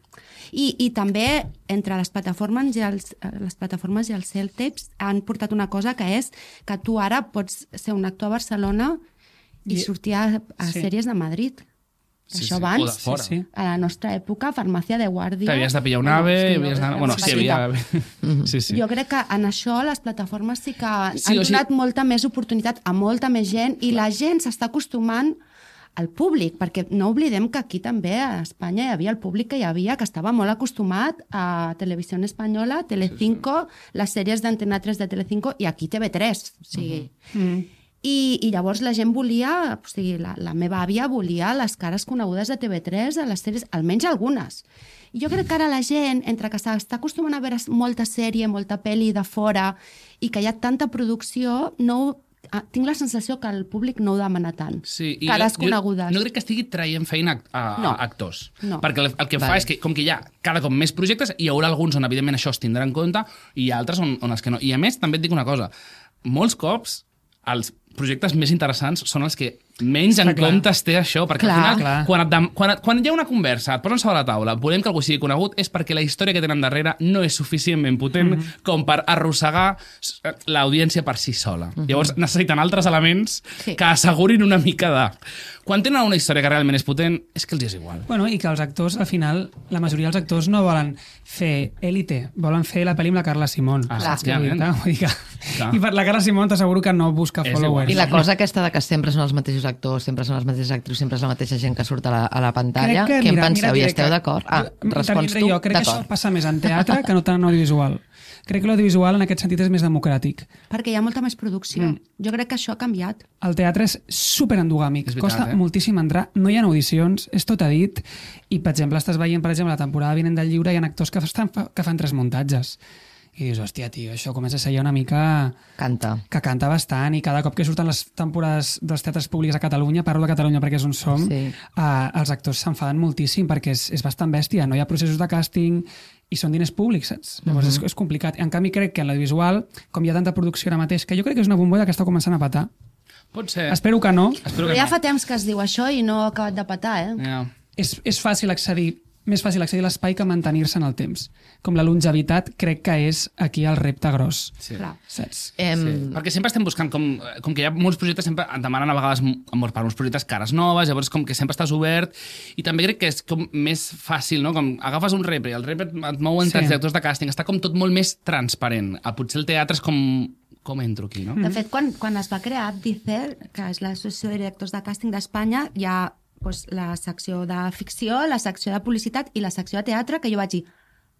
Speaker 4: I també entre les plataformes i els self-tapes han portat una cosa que és que tu ara pots ser un actor a Barcelona i sortir a sèries de Madrid. Això abans, a la nostra època, farmàcia de guàrdia...
Speaker 1: T'havies de pillar un AVE... Bueno, sí, havia...
Speaker 4: Jo crec que en això les plataformes sí que han donat molta més oportunitat a molta més gent i la gent s'està acostumant al públic, perquè no oblidem que aquí també a Espanya hi havia el públic que hi havia, que estava molt acostumat a Televisió Espanyola, Telecinco, les sèries d'Antena 3 de Telecinco i aquí TV3. O sigui... I llavors la gent volia, o sigui, la meva àvia volia les cares conegudes de TV3, de les sèries, almenys algunes. I jo crec que ara la gent, entre que s'està acostumant a veure molta sèrie, molta pel·li de fora, i que hi ha tanta producció, tinc la sensació que el públic no ho demana tant.
Speaker 1: Sí,
Speaker 4: cares conegudes.
Speaker 1: No crec que estigui traient feina a actors.
Speaker 4: No.
Speaker 1: Perquè el que fa és que, com que hi ha cada cop més projectes, hi haurà alguns on, evidentment, això es tindrà en compte, i hi ha altres on els que no. I, a més, també et dic una cosa. Molts cops, els projectes més interessants són els que menys en compte té això, perquè al final, quan hi ha una conversa, et posen sobre la taula, volem que algú sigui conegut, és perquè la història que tenen darrere no és suficientment potent com per arrossegar l'audiència per si sola. Llavors necessiten altres elements que assegurin una mica de... Quan tenen una història que realment és potent, és que els és igual.
Speaker 3: Bueno, i que els actors, al final, la majoria dels actors no volen fer Élite, volen fer la pel·li amb la Carla Simón. I per la Carla Simón t'asseguro que no busca followers.
Speaker 2: I la cosa aquesta de que sempre són els mateixos actors, sempre són les mateixes actrius, sempre és la mateixa gent que surt a la pantalla, què en penseu? I esteu d'acord? Respons tu?
Speaker 3: Jo crec que això passa més en teatre que no tant en audiovisual. Crec que l'audiovisual en aquest sentit és més democràtic.
Speaker 4: Perquè hi ha molta més producció. Jo crec que això ha canviat.
Speaker 3: El teatre és superendogàmic. Costa moltíssim entrar, no hi ha audicions, és tot a dit. I, per exemple, estàs veient, la temporada vinent del Lliure, hi ha actors que fan 3 muntatges. I dius, hòstia, tio, això comença a ser ja una mica... Que canta bastant, i cada cop que surten les temporades dels teatres públics a Catalunya, parlo de Catalunya perquè és on som, els actors s'enfaden moltíssim perquè és bastant bèstia, no hi ha processos de càsting i són diners públics, saps? Llavors és complicat. En canvi, crec que en l'audiovisual, com hi ha tanta producció ara mateix, que jo crec que és una bombolla que està començant a petar.
Speaker 1: Pot ser.
Speaker 3: Espero que no.
Speaker 4: Però ja fa temps que es diu això i no ha acabat de petar,
Speaker 3: És fàcil accedir, més fàcil accedir a l'espai que mantenir-se en el temps. Com la longevitat, crec que és aquí el repte gros.
Speaker 1: Sí.
Speaker 3: Saps?
Speaker 1: Perquè sempre estem buscant, com que hi ha molts projectes, sempre et demanen a vegades per uns projectes cares noves, llavors com que sempre estàs obert, i també crec que és com més fàcil, no? Com agafes un repre, el repre et mouen tants directors de càsting, està com tot molt més transparent. Potser el teatre és com entro aquí, no?
Speaker 4: De fet, quan es va crear Abdicer, que és l'Associació de Directors de Càsting d'Espanya, hi ha la secció de ficció, la secció de publicitat i la secció de teatre, que jo vaig dir,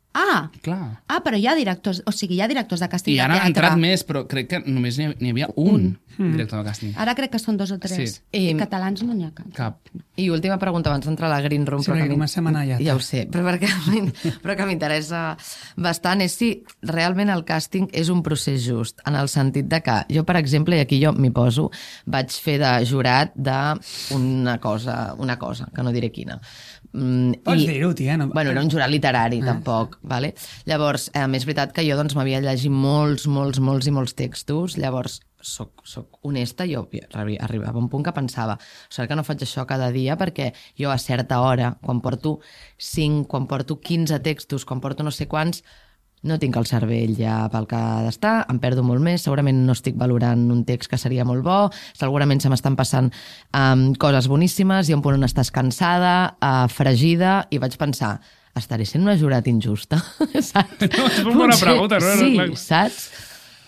Speaker 4: però hi ha directors, o sigui, hi ha directors de càsting de teatre.
Speaker 1: I ara han entrat més, però crec que només n'hi havia un director de càsting.
Speaker 4: Ara crec que són 2 o 3. I catalans no n'hi ha cap.
Speaker 2: I última pregunta, abans d'entrar a la Green Room.
Speaker 3: Sí, perquè comencem a anar ja.
Speaker 2: Ja ho sé, però que m'interessa bastant és si realment el càsting és un procés just, en el sentit de que jo, per exemple, i aquí jo m'hi poso, vaig fer de jurat d'una cosa, que no diré quina.
Speaker 3: Pots dir-ho, tia.
Speaker 2: Bueno, era un jurat literari, tampoc. Vale? Llavors, és veritat que jo m'havia llegit molts textos, llavors soc honesta, jo arribava a un punt que pensava, sort que no faig això cada dia, perquè jo a certa hora, quan porto 5, quan porto 15 textos, quan porto no sé quants, no tinc el cervell ja pel que ha d'estar, em perdo molt més, segurament no estic valorant un text que seria molt bo, segurament se m'estan passant coses boníssimes, i un punt on estàs cansada, fregida, i vaig pensar, estaré sent una jurat injusta? Saps?
Speaker 1: No, és una bona pregunta, no?
Speaker 2: Sí, saps?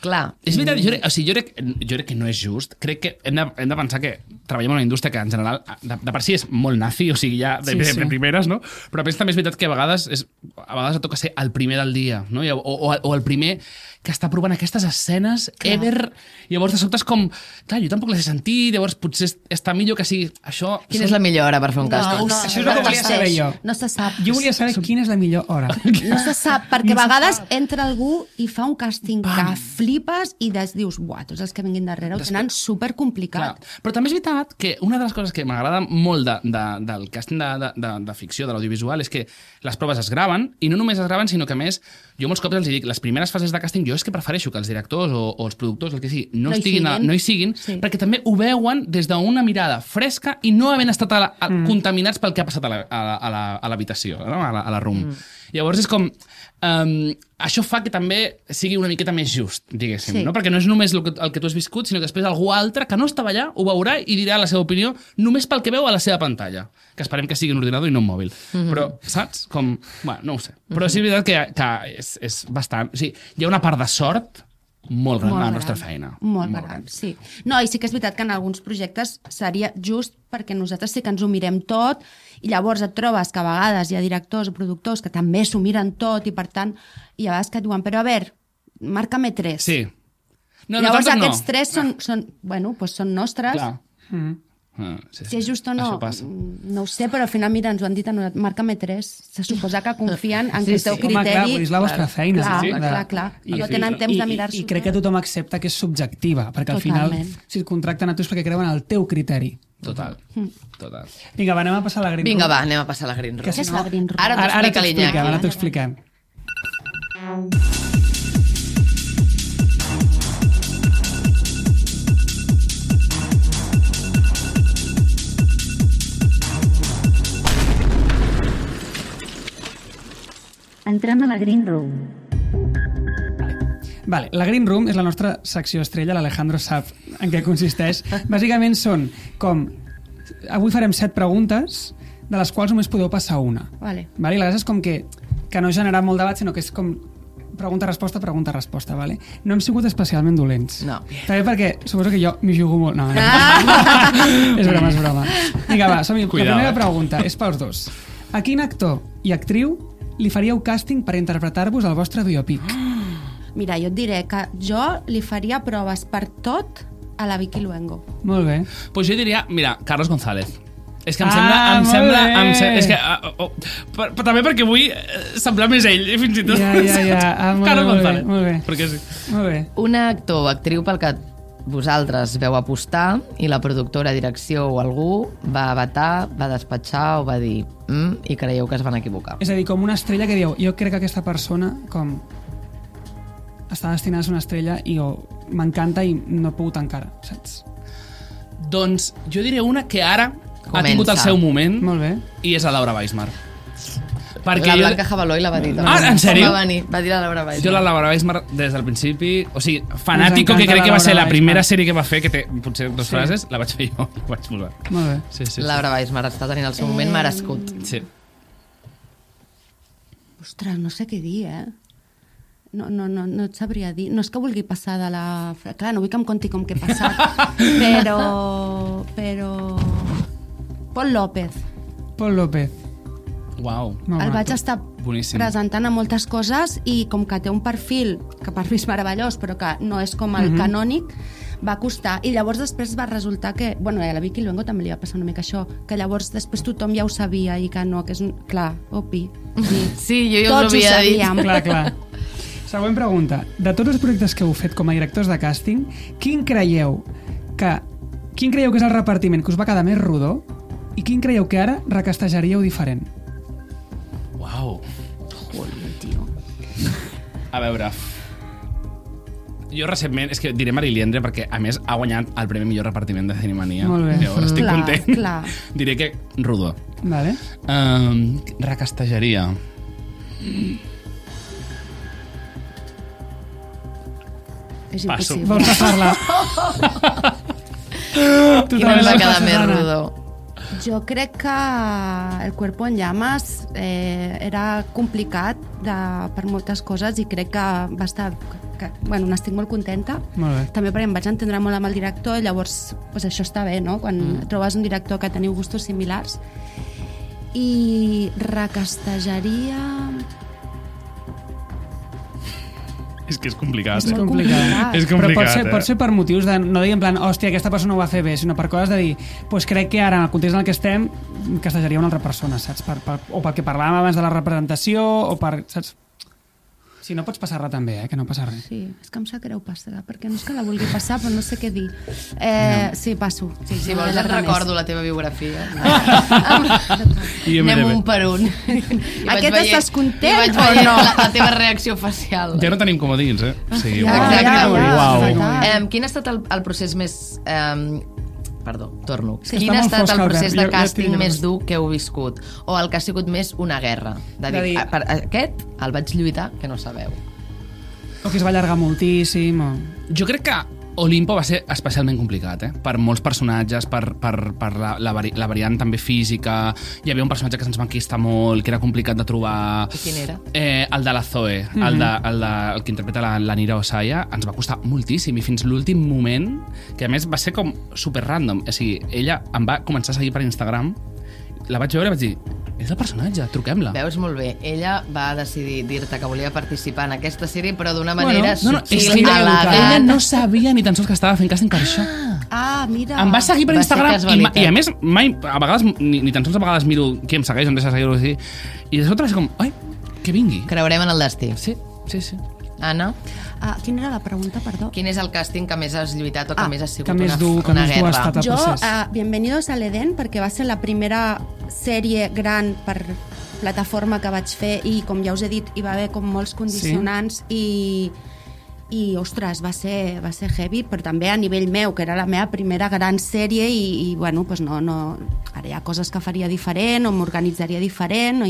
Speaker 2: Clar.
Speaker 1: És veritat, jo crec que no és just. Crec que hem de pensar que treballem en una indústria que en general de per si és molt nazi, o sigui, ja de primeres, no? Però a més també és veritat que a vegades et toca ser el primer del dia, no? O el primer que està provant aquestes escenes ever. Llavors de sobte és com, clar, jo tampoc les he sentit, llavors potser està millor que sigui això.
Speaker 2: Quina és la millor hora per fer un càsting?
Speaker 3: Això és el que volia saber jo.
Speaker 4: No se sap.
Speaker 3: Jo volia saber quina és la millor hora.
Speaker 4: No se sap, perquè a vegades entra algú i fa un càsting que flipes i dius, buah, tots els que vinguin darrere ho tenen supercomplicat.
Speaker 1: Però també és veritat que una de les coses que m'agrada molt del càsting de ficció, de l'audiovisual, és que les proves es graven, i no només es graven, sinó que a més, jo molts cops els dic, les primeres fases de càsting jo és que prefereixo que els directors o els productors, el que sigui, no hi siguin, perquè també ho veuen des d'una mirada fresca i no havent estat contaminats pel que ha passat a l'habitació, no? a la room. Llavors és com... això fa que també sigui una miqueta més just, diguéssim, no? Perquè no és només el que tu has viscut, sinó que després algú altre que no estava allà ho veurà i dirà la seva opinió només pel que veu a la seva pantalla, que esperem que sigui un ordinador i no un mòbil. Però, saps? Com... Bueno, no ho sé. Però sí és veritat que és bastant... O sigui, hi ha una part de sort molt gran a la nostra feina.
Speaker 4: Molt gran, sí. No, i sí que és veritat que en alguns projectes seria just perquè nosaltres sí que ens ho mirem tot i llavors et trobes que a vegades hi ha directors o productors que també s'ho miren tot i per tant, i a vegades que et diuen, però a veure, marca-me 3.
Speaker 1: Sí. No,
Speaker 4: Llavors
Speaker 1: nosaltres no.
Speaker 4: aquests tres són nostres.
Speaker 1: Clar.
Speaker 4: Si és just o no, no ho sé, però al final, mira, ens ho han dit, marca-me 3. Se suposa que confien en que el teu criteri...
Speaker 3: Home, clar, és la vostra feina.
Speaker 4: Clar. No tenen temps de mirar-s'ho.
Speaker 3: I crec que tothom accepta que és subjectiva, perquè al final, si et contracten a tu és perquè creuen en el teu criteri.
Speaker 1: Total.
Speaker 3: Vinga, va, anem a passar a la Green Room.
Speaker 2: Vinga, va, anem a passar a la Green Room.
Speaker 4: Què és la Green Room?
Speaker 2: Ara t'ho explica
Speaker 3: Ara t'ho expliquem.
Speaker 7: Entrem a la Green Room.
Speaker 3: Vale, la Green Room és la nostra secció estrella, l'Alejandro sap en què consisteix. Bàsicament són com... Avui farem 7 preguntes, de les quals només podeu passar una.
Speaker 4: Vale.
Speaker 3: I la gràcia és com que no genera molt debat, sinó que és com pregunta-resposta, vale? No hem sigut especialment dolents.
Speaker 2: No.
Speaker 3: També perquè suposo que jo m'hi jugo molt. No. És broma. Vinga, va, som-hi. La primera pregunta és pels dos. A quin actor i actriu li faríeu càsting per interpretar-vos al vostre biopic?
Speaker 4: Mira, jo et diré que jo li faria proves per tot a la Vicky Luengo.
Speaker 3: Molt bé.
Speaker 1: Pues jo diria, mira, Carlos González. És que em
Speaker 3: molt
Speaker 1: sembla...
Speaker 3: bé.
Speaker 1: És que, però també perquè vull semblar més ell, fins i tot.
Speaker 3: Ja.
Speaker 1: Carlos González.
Speaker 3: Molt bé.
Speaker 1: Perquè sí.
Speaker 3: Molt bé.
Speaker 2: Un actor o actriu pel que vosaltres veu apostar i la productora, direcció o algú va vetar, va despatxar o va dir i creieu que es van equivocar.
Speaker 3: És a dir, com una estrella que diu, jo crec que aquesta persona com està destinada a ser una estrella i m'encanta i no he pogut encara, saps?
Speaker 1: Doncs jo diré una que ara ha tingut el
Speaker 2: Comença.
Speaker 1: seu moment.
Speaker 3: Molt bé.
Speaker 1: I és la Laura Weismar.
Speaker 2: La Blanca Jabaloi la va dir.
Speaker 1: En sèrio?
Speaker 2: Va dir la Laura Weismar.
Speaker 1: Jo la Laura Weismar des del principi, o sigui, Fanático,
Speaker 3: Ens
Speaker 1: que crec
Speaker 3: encanta
Speaker 1: que va
Speaker 3: la
Speaker 1: ser la
Speaker 3: Laura
Speaker 1: primera
Speaker 3: Weismar.
Speaker 1: sèrie que va fer, que té potser 2 frases, la vaig fer jo, la vaig posar.
Speaker 3: Molt bé.
Speaker 1: Sí.
Speaker 2: Laura Weismar està tenint el seu moment merescut.
Speaker 1: Sí.
Speaker 4: Ostres, no sé què dir, No et sabria dir. No és que vulgui passar de la... Clar, no vull que em conti com que he passat, però... Paul López.
Speaker 3: Paul López.
Speaker 1: Uau.
Speaker 4: El vaig estar
Speaker 1: Boníssim.
Speaker 4: presentant a moltes coses i com que té un perfil que per mi és meravellós però que no és com el canònic, va costar. I llavors després va resultar que... Bueno, a la Vicky Luengo també li va passar una mica això, que llavors després tothom ja ho sabia i que no, que és... Clar, opi.
Speaker 2: Sí, jo ja us
Speaker 4: Tots
Speaker 2: ho havia dit.
Speaker 4: sabíem.
Speaker 3: Clar. Següent pregunta. De tots els projectes que heu fet com a directors de càsting, quin creieu que és el repartiment que us va quedar més rodó i quin creieu que ara recastejaríeu diferent?
Speaker 1: Uau.
Speaker 4: Joder, tio.
Speaker 1: A veure... Jo recentment, és que diré Mariliendre perquè a més ha guanyat el premi millor repartiment de Cinemania.
Speaker 3: Molt bé.
Speaker 1: Llavors estic
Speaker 4: Clar,
Speaker 1: content.
Speaker 4: clar.
Speaker 1: Diré que rodó.
Speaker 3: Vale.
Speaker 1: Recastejaria.
Speaker 4: És
Speaker 1: Passo.
Speaker 4: impossible.
Speaker 3: Vols passar-la?
Speaker 2: Quin ens va quedar més
Speaker 3: Susana.
Speaker 2: rodó?
Speaker 4: Jo crec que El cuerpo en llamas era complicat per moltes coses i crec que va estar... Bueno, n'estic molt contenta.
Speaker 3: Molt bé.
Speaker 4: També perquè em vaig entendre molt amb el director i llavors pues, això està bé, no? Quan trobes un director que teniu gustos similars. I recastejaria...
Speaker 1: És que és complicat.
Speaker 4: És molt complicat.
Speaker 1: És
Speaker 3: Però
Speaker 1: complicat,
Speaker 3: pot ser per motius de no dir en plan, hòstia, aquesta persona ho va fer bé, sinó per coses de dir, pues crec que ara, en el context en el que estem, castejaria una altra persona, saps? O perquè parlàvem abans de la representació, o per... Saps? Si no, pots passar-la també, que no passa res.
Speaker 4: Sí, és que em sap greu passar, perquè no és que la vulgui passar, però no sé què dir. Sí, passo. Sí,
Speaker 2: Si vols et recordo la teva biografia.
Speaker 1: IMDb.
Speaker 2: Anem un per un.
Speaker 4: Aquest estàs content
Speaker 2: o
Speaker 4: no?
Speaker 2: La teva reacció facial.
Speaker 1: Ja no tenim comodins, O sigui,
Speaker 2: Exacte.
Speaker 1: Uau.
Speaker 2: Quin ha estat el procés més... Perdó, torno.
Speaker 3: Sí,
Speaker 2: Quin
Speaker 3: està
Speaker 2: ha
Speaker 3: molt
Speaker 2: estat
Speaker 3: fosc,
Speaker 2: el
Speaker 3: Albert.
Speaker 2: procés de
Speaker 3: Jo estic
Speaker 2: càsting
Speaker 3: nerviós.
Speaker 2: més dur que heu viscut? O el que ha sigut més una guerra? De dir, per aquest el vaig lluitar, que no sabeu.
Speaker 3: O que es va allargar moltíssim, o...
Speaker 1: Jo crec que Olimpo va ser especialment complicat, per molts personatges, per la variant també física. Hi havia un personatge que se'ns va enquistar molt, que era complicat de trobar.
Speaker 2: I quin era?
Speaker 1: El de la Zoe, el que interpreta la Nira Osaya, ens va costar moltíssim, i fins l'últim moment, que a més va ser com super random. O sigui, ella em va començar a seguir per Instagram, la vaig veure i vaig dir, és el personatge, truquem-la.
Speaker 2: Veus molt bé. Ella va decidir dir-te que volia participar en aquesta sèrie, però d'una manera
Speaker 1: és
Speaker 2: sutil,
Speaker 1: que
Speaker 2: elegant.
Speaker 1: ella no sabia ni tan sols que estava fent càsting per això.
Speaker 4: Mira.
Speaker 1: Em va seguir per
Speaker 2: Va ser
Speaker 1: Instagram
Speaker 2: casualitat.
Speaker 1: i a més, mai, a vegades, ni tan sols a vegades miro qui em segueix, on deixa seguir-ho així. I de sobte va ser com, ai, que vingui.
Speaker 2: Creurem en el destí.
Speaker 1: Sí.
Speaker 2: Anna,
Speaker 4: Quina era la pregunta, perdó?
Speaker 2: quin és el càsting que més has lluitat o que més ha sigut
Speaker 3: que més dur ha
Speaker 2: guerra?
Speaker 3: estat el
Speaker 4: Jo,
Speaker 3: procés.
Speaker 4: Bienvenidos al Edén, perquè va ser la primera sèrie gran per plataforma que vaig fer i, com ja us he dit, hi va haver com molts condicionants i ostres, va ser heavy, però també a nivell meu, que era la meva primera gran sèrie i bueno, pues no, ara hi ha coses que faria diferent o m'organitzaria diferent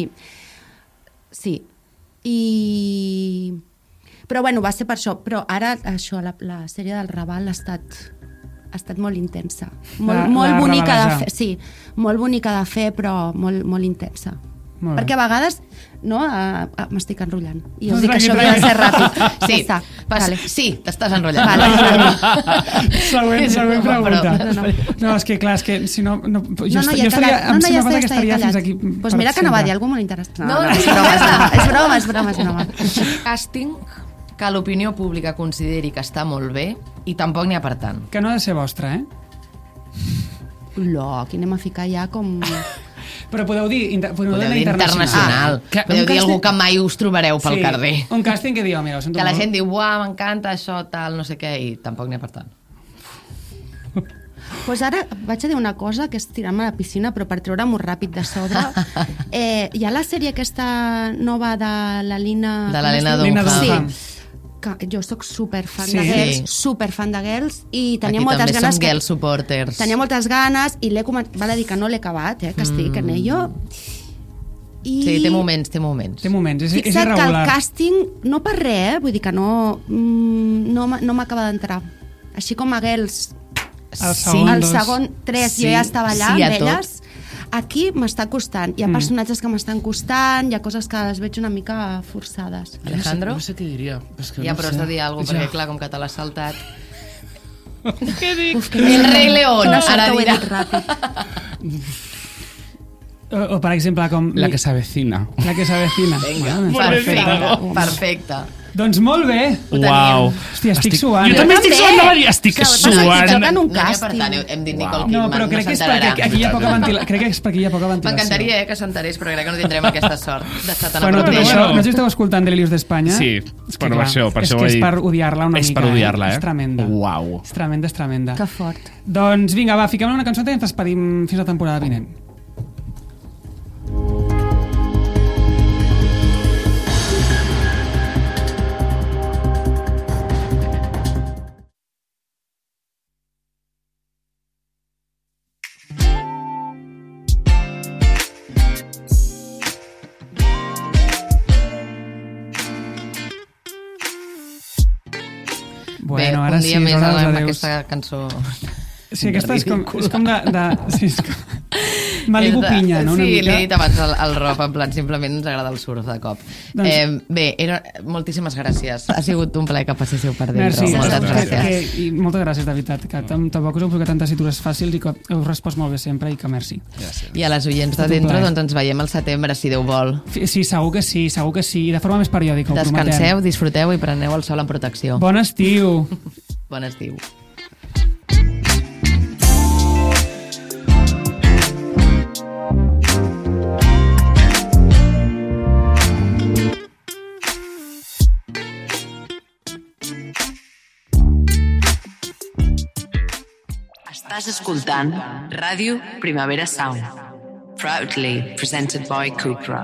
Speaker 4: sí, però bueno, va ser per això, però ara això, la sèrie del Raval ha estat molt intensa, molt bonica de fer, sí, molt bonica de fer, però molt intensa. Perquè a vegades m'estic enrotllant i us dic que això havia de ser ràpid.
Speaker 2: Sí, t'estàs enrotllant.
Speaker 3: Següent pregunta. No, és que clar, és que si no... Jo estaria... Em sembla que estaria fins aquí...
Speaker 4: Doncs mira que no va dir alguna molt interessant.
Speaker 2: No,
Speaker 4: és broma.
Speaker 2: Càsting que l'opinió pública consideri que està molt bé i tampoc n'hi ha per tant.
Speaker 3: Que no ha de ser vostre,
Speaker 4: Aquí anem a ficar ja com...
Speaker 3: Però podeu dir
Speaker 2: internacional. Podeu dir algú que mai us trobareu pel carrer.
Speaker 3: Un càsting que diu, mira, ho sento molt.
Speaker 2: Que la gent diu, uah, m'encanta això, tal, no sé què, i tampoc n'hi ha per tant.
Speaker 4: Doncs ara vaig a dir una cosa, que és tirar-me a la piscina, però per treure-m'ho ràpid de sobre. Hi ha la sèrie aquesta nova de la Lina...
Speaker 2: De la Lena Dunham.
Speaker 4: Sí. Que jo soc superfan de Girls i tenia moltes ganes...
Speaker 2: Aquí també som Girls supporters.
Speaker 4: Tenia moltes ganes i val a dir que no l'he acabat, que estic en ello.
Speaker 2: Sí, té moments.
Speaker 3: Té moments, és
Speaker 4: fixa't
Speaker 3: irregular.
Speaker 4: que el càsting, no per res, vull dir que no m'acaba d'entrar. Així com a Girls, el segon 3 jo ja estava allà amb elles. Aquí m'està costant. Hi ha personatges que m'estan costant, hi ha coses que les veig una mica forçades.
Speaker 2: Alejandro?
Speaker 1: No sé què diria.
Speaker 2: Ja, però has de dir alguna cosa, perquè clar, com que te l'has saltat...
Speaker 1: Què dic?
Speaker 2: El rei León, ara dirà.
Speaker 3: O per exemple, com...
Speaker 1: La que s'avecina.
Speaker 3: La que s'avecina.
Speaker 2: Perfecte.
Speaker 3: Doncs molt bé.
Speaker 1: Uau.
Speaker 3: Hòstia, estic suant.
Speaker 1: Jo també estic suant, no, estic suant.
Speaker 2: No hi ha per tant, hem dit Nicole Kidman,
Speaker 3: no, però crec que és perquè aquí hi ha poca ventilació. Crec que és perquè hi ha poca ventilació.
Speaker 2: M'encantaria que s'enterés, però crec que no tindrem aquesta sort d'estar tan a
Speaker 3: prop
Speaker 2: prop
Speaker 3: d'això. No sé si esteu escoltant Delirios d'Espanya.
Speaker 1: Sí, per això ho he dit.
Speaker 3: És que és per odiar-la una mica.
Speaker 1: És per odiar-la,
Speaker 3: És tremenda.
Speaker 1: Uau.
Speaker 3: És tremenda.
Speaker 4: Que fort.
Speaker 3: Doncs vinga, va, fiquem una cançó i ens despedim fins la temporada vinent.
Speaker 2: Bueno, ara un dia més amb aquesta cançó.
Speaker 3: Sí, aquesta és com de... Sí, Malibu Pinya, no?
Speaker 2: Sí, li he dit abans al Rob, en plan, simplement ens agrada el surf de cop. Bé, moltíssimes gràcies. Ha sigut un plaer que passéssiu per dentro. Moltes gràcies.
Speaker 3: I moltes gràcies, de veritat, que tampoc us heu posat tantes citures fàcils i que heu respost molt bé sempre i que merci.
Speaker 2: I a les oients de dentro, doncs ens veiem al setembre, si Déu vol.
Speaker 3: Sí, segur que sí, i de forma més periòdica, ho prometem.
Speaker 2: Descanseu, disfruteu i preneu el sol en protecció.
Speaker 3: Bon estiu!
Speaker 2: Bon estiu.
Speaker 5: Estàs escoltant Ràdio Primavera Sound. Proudly presented by Cupra.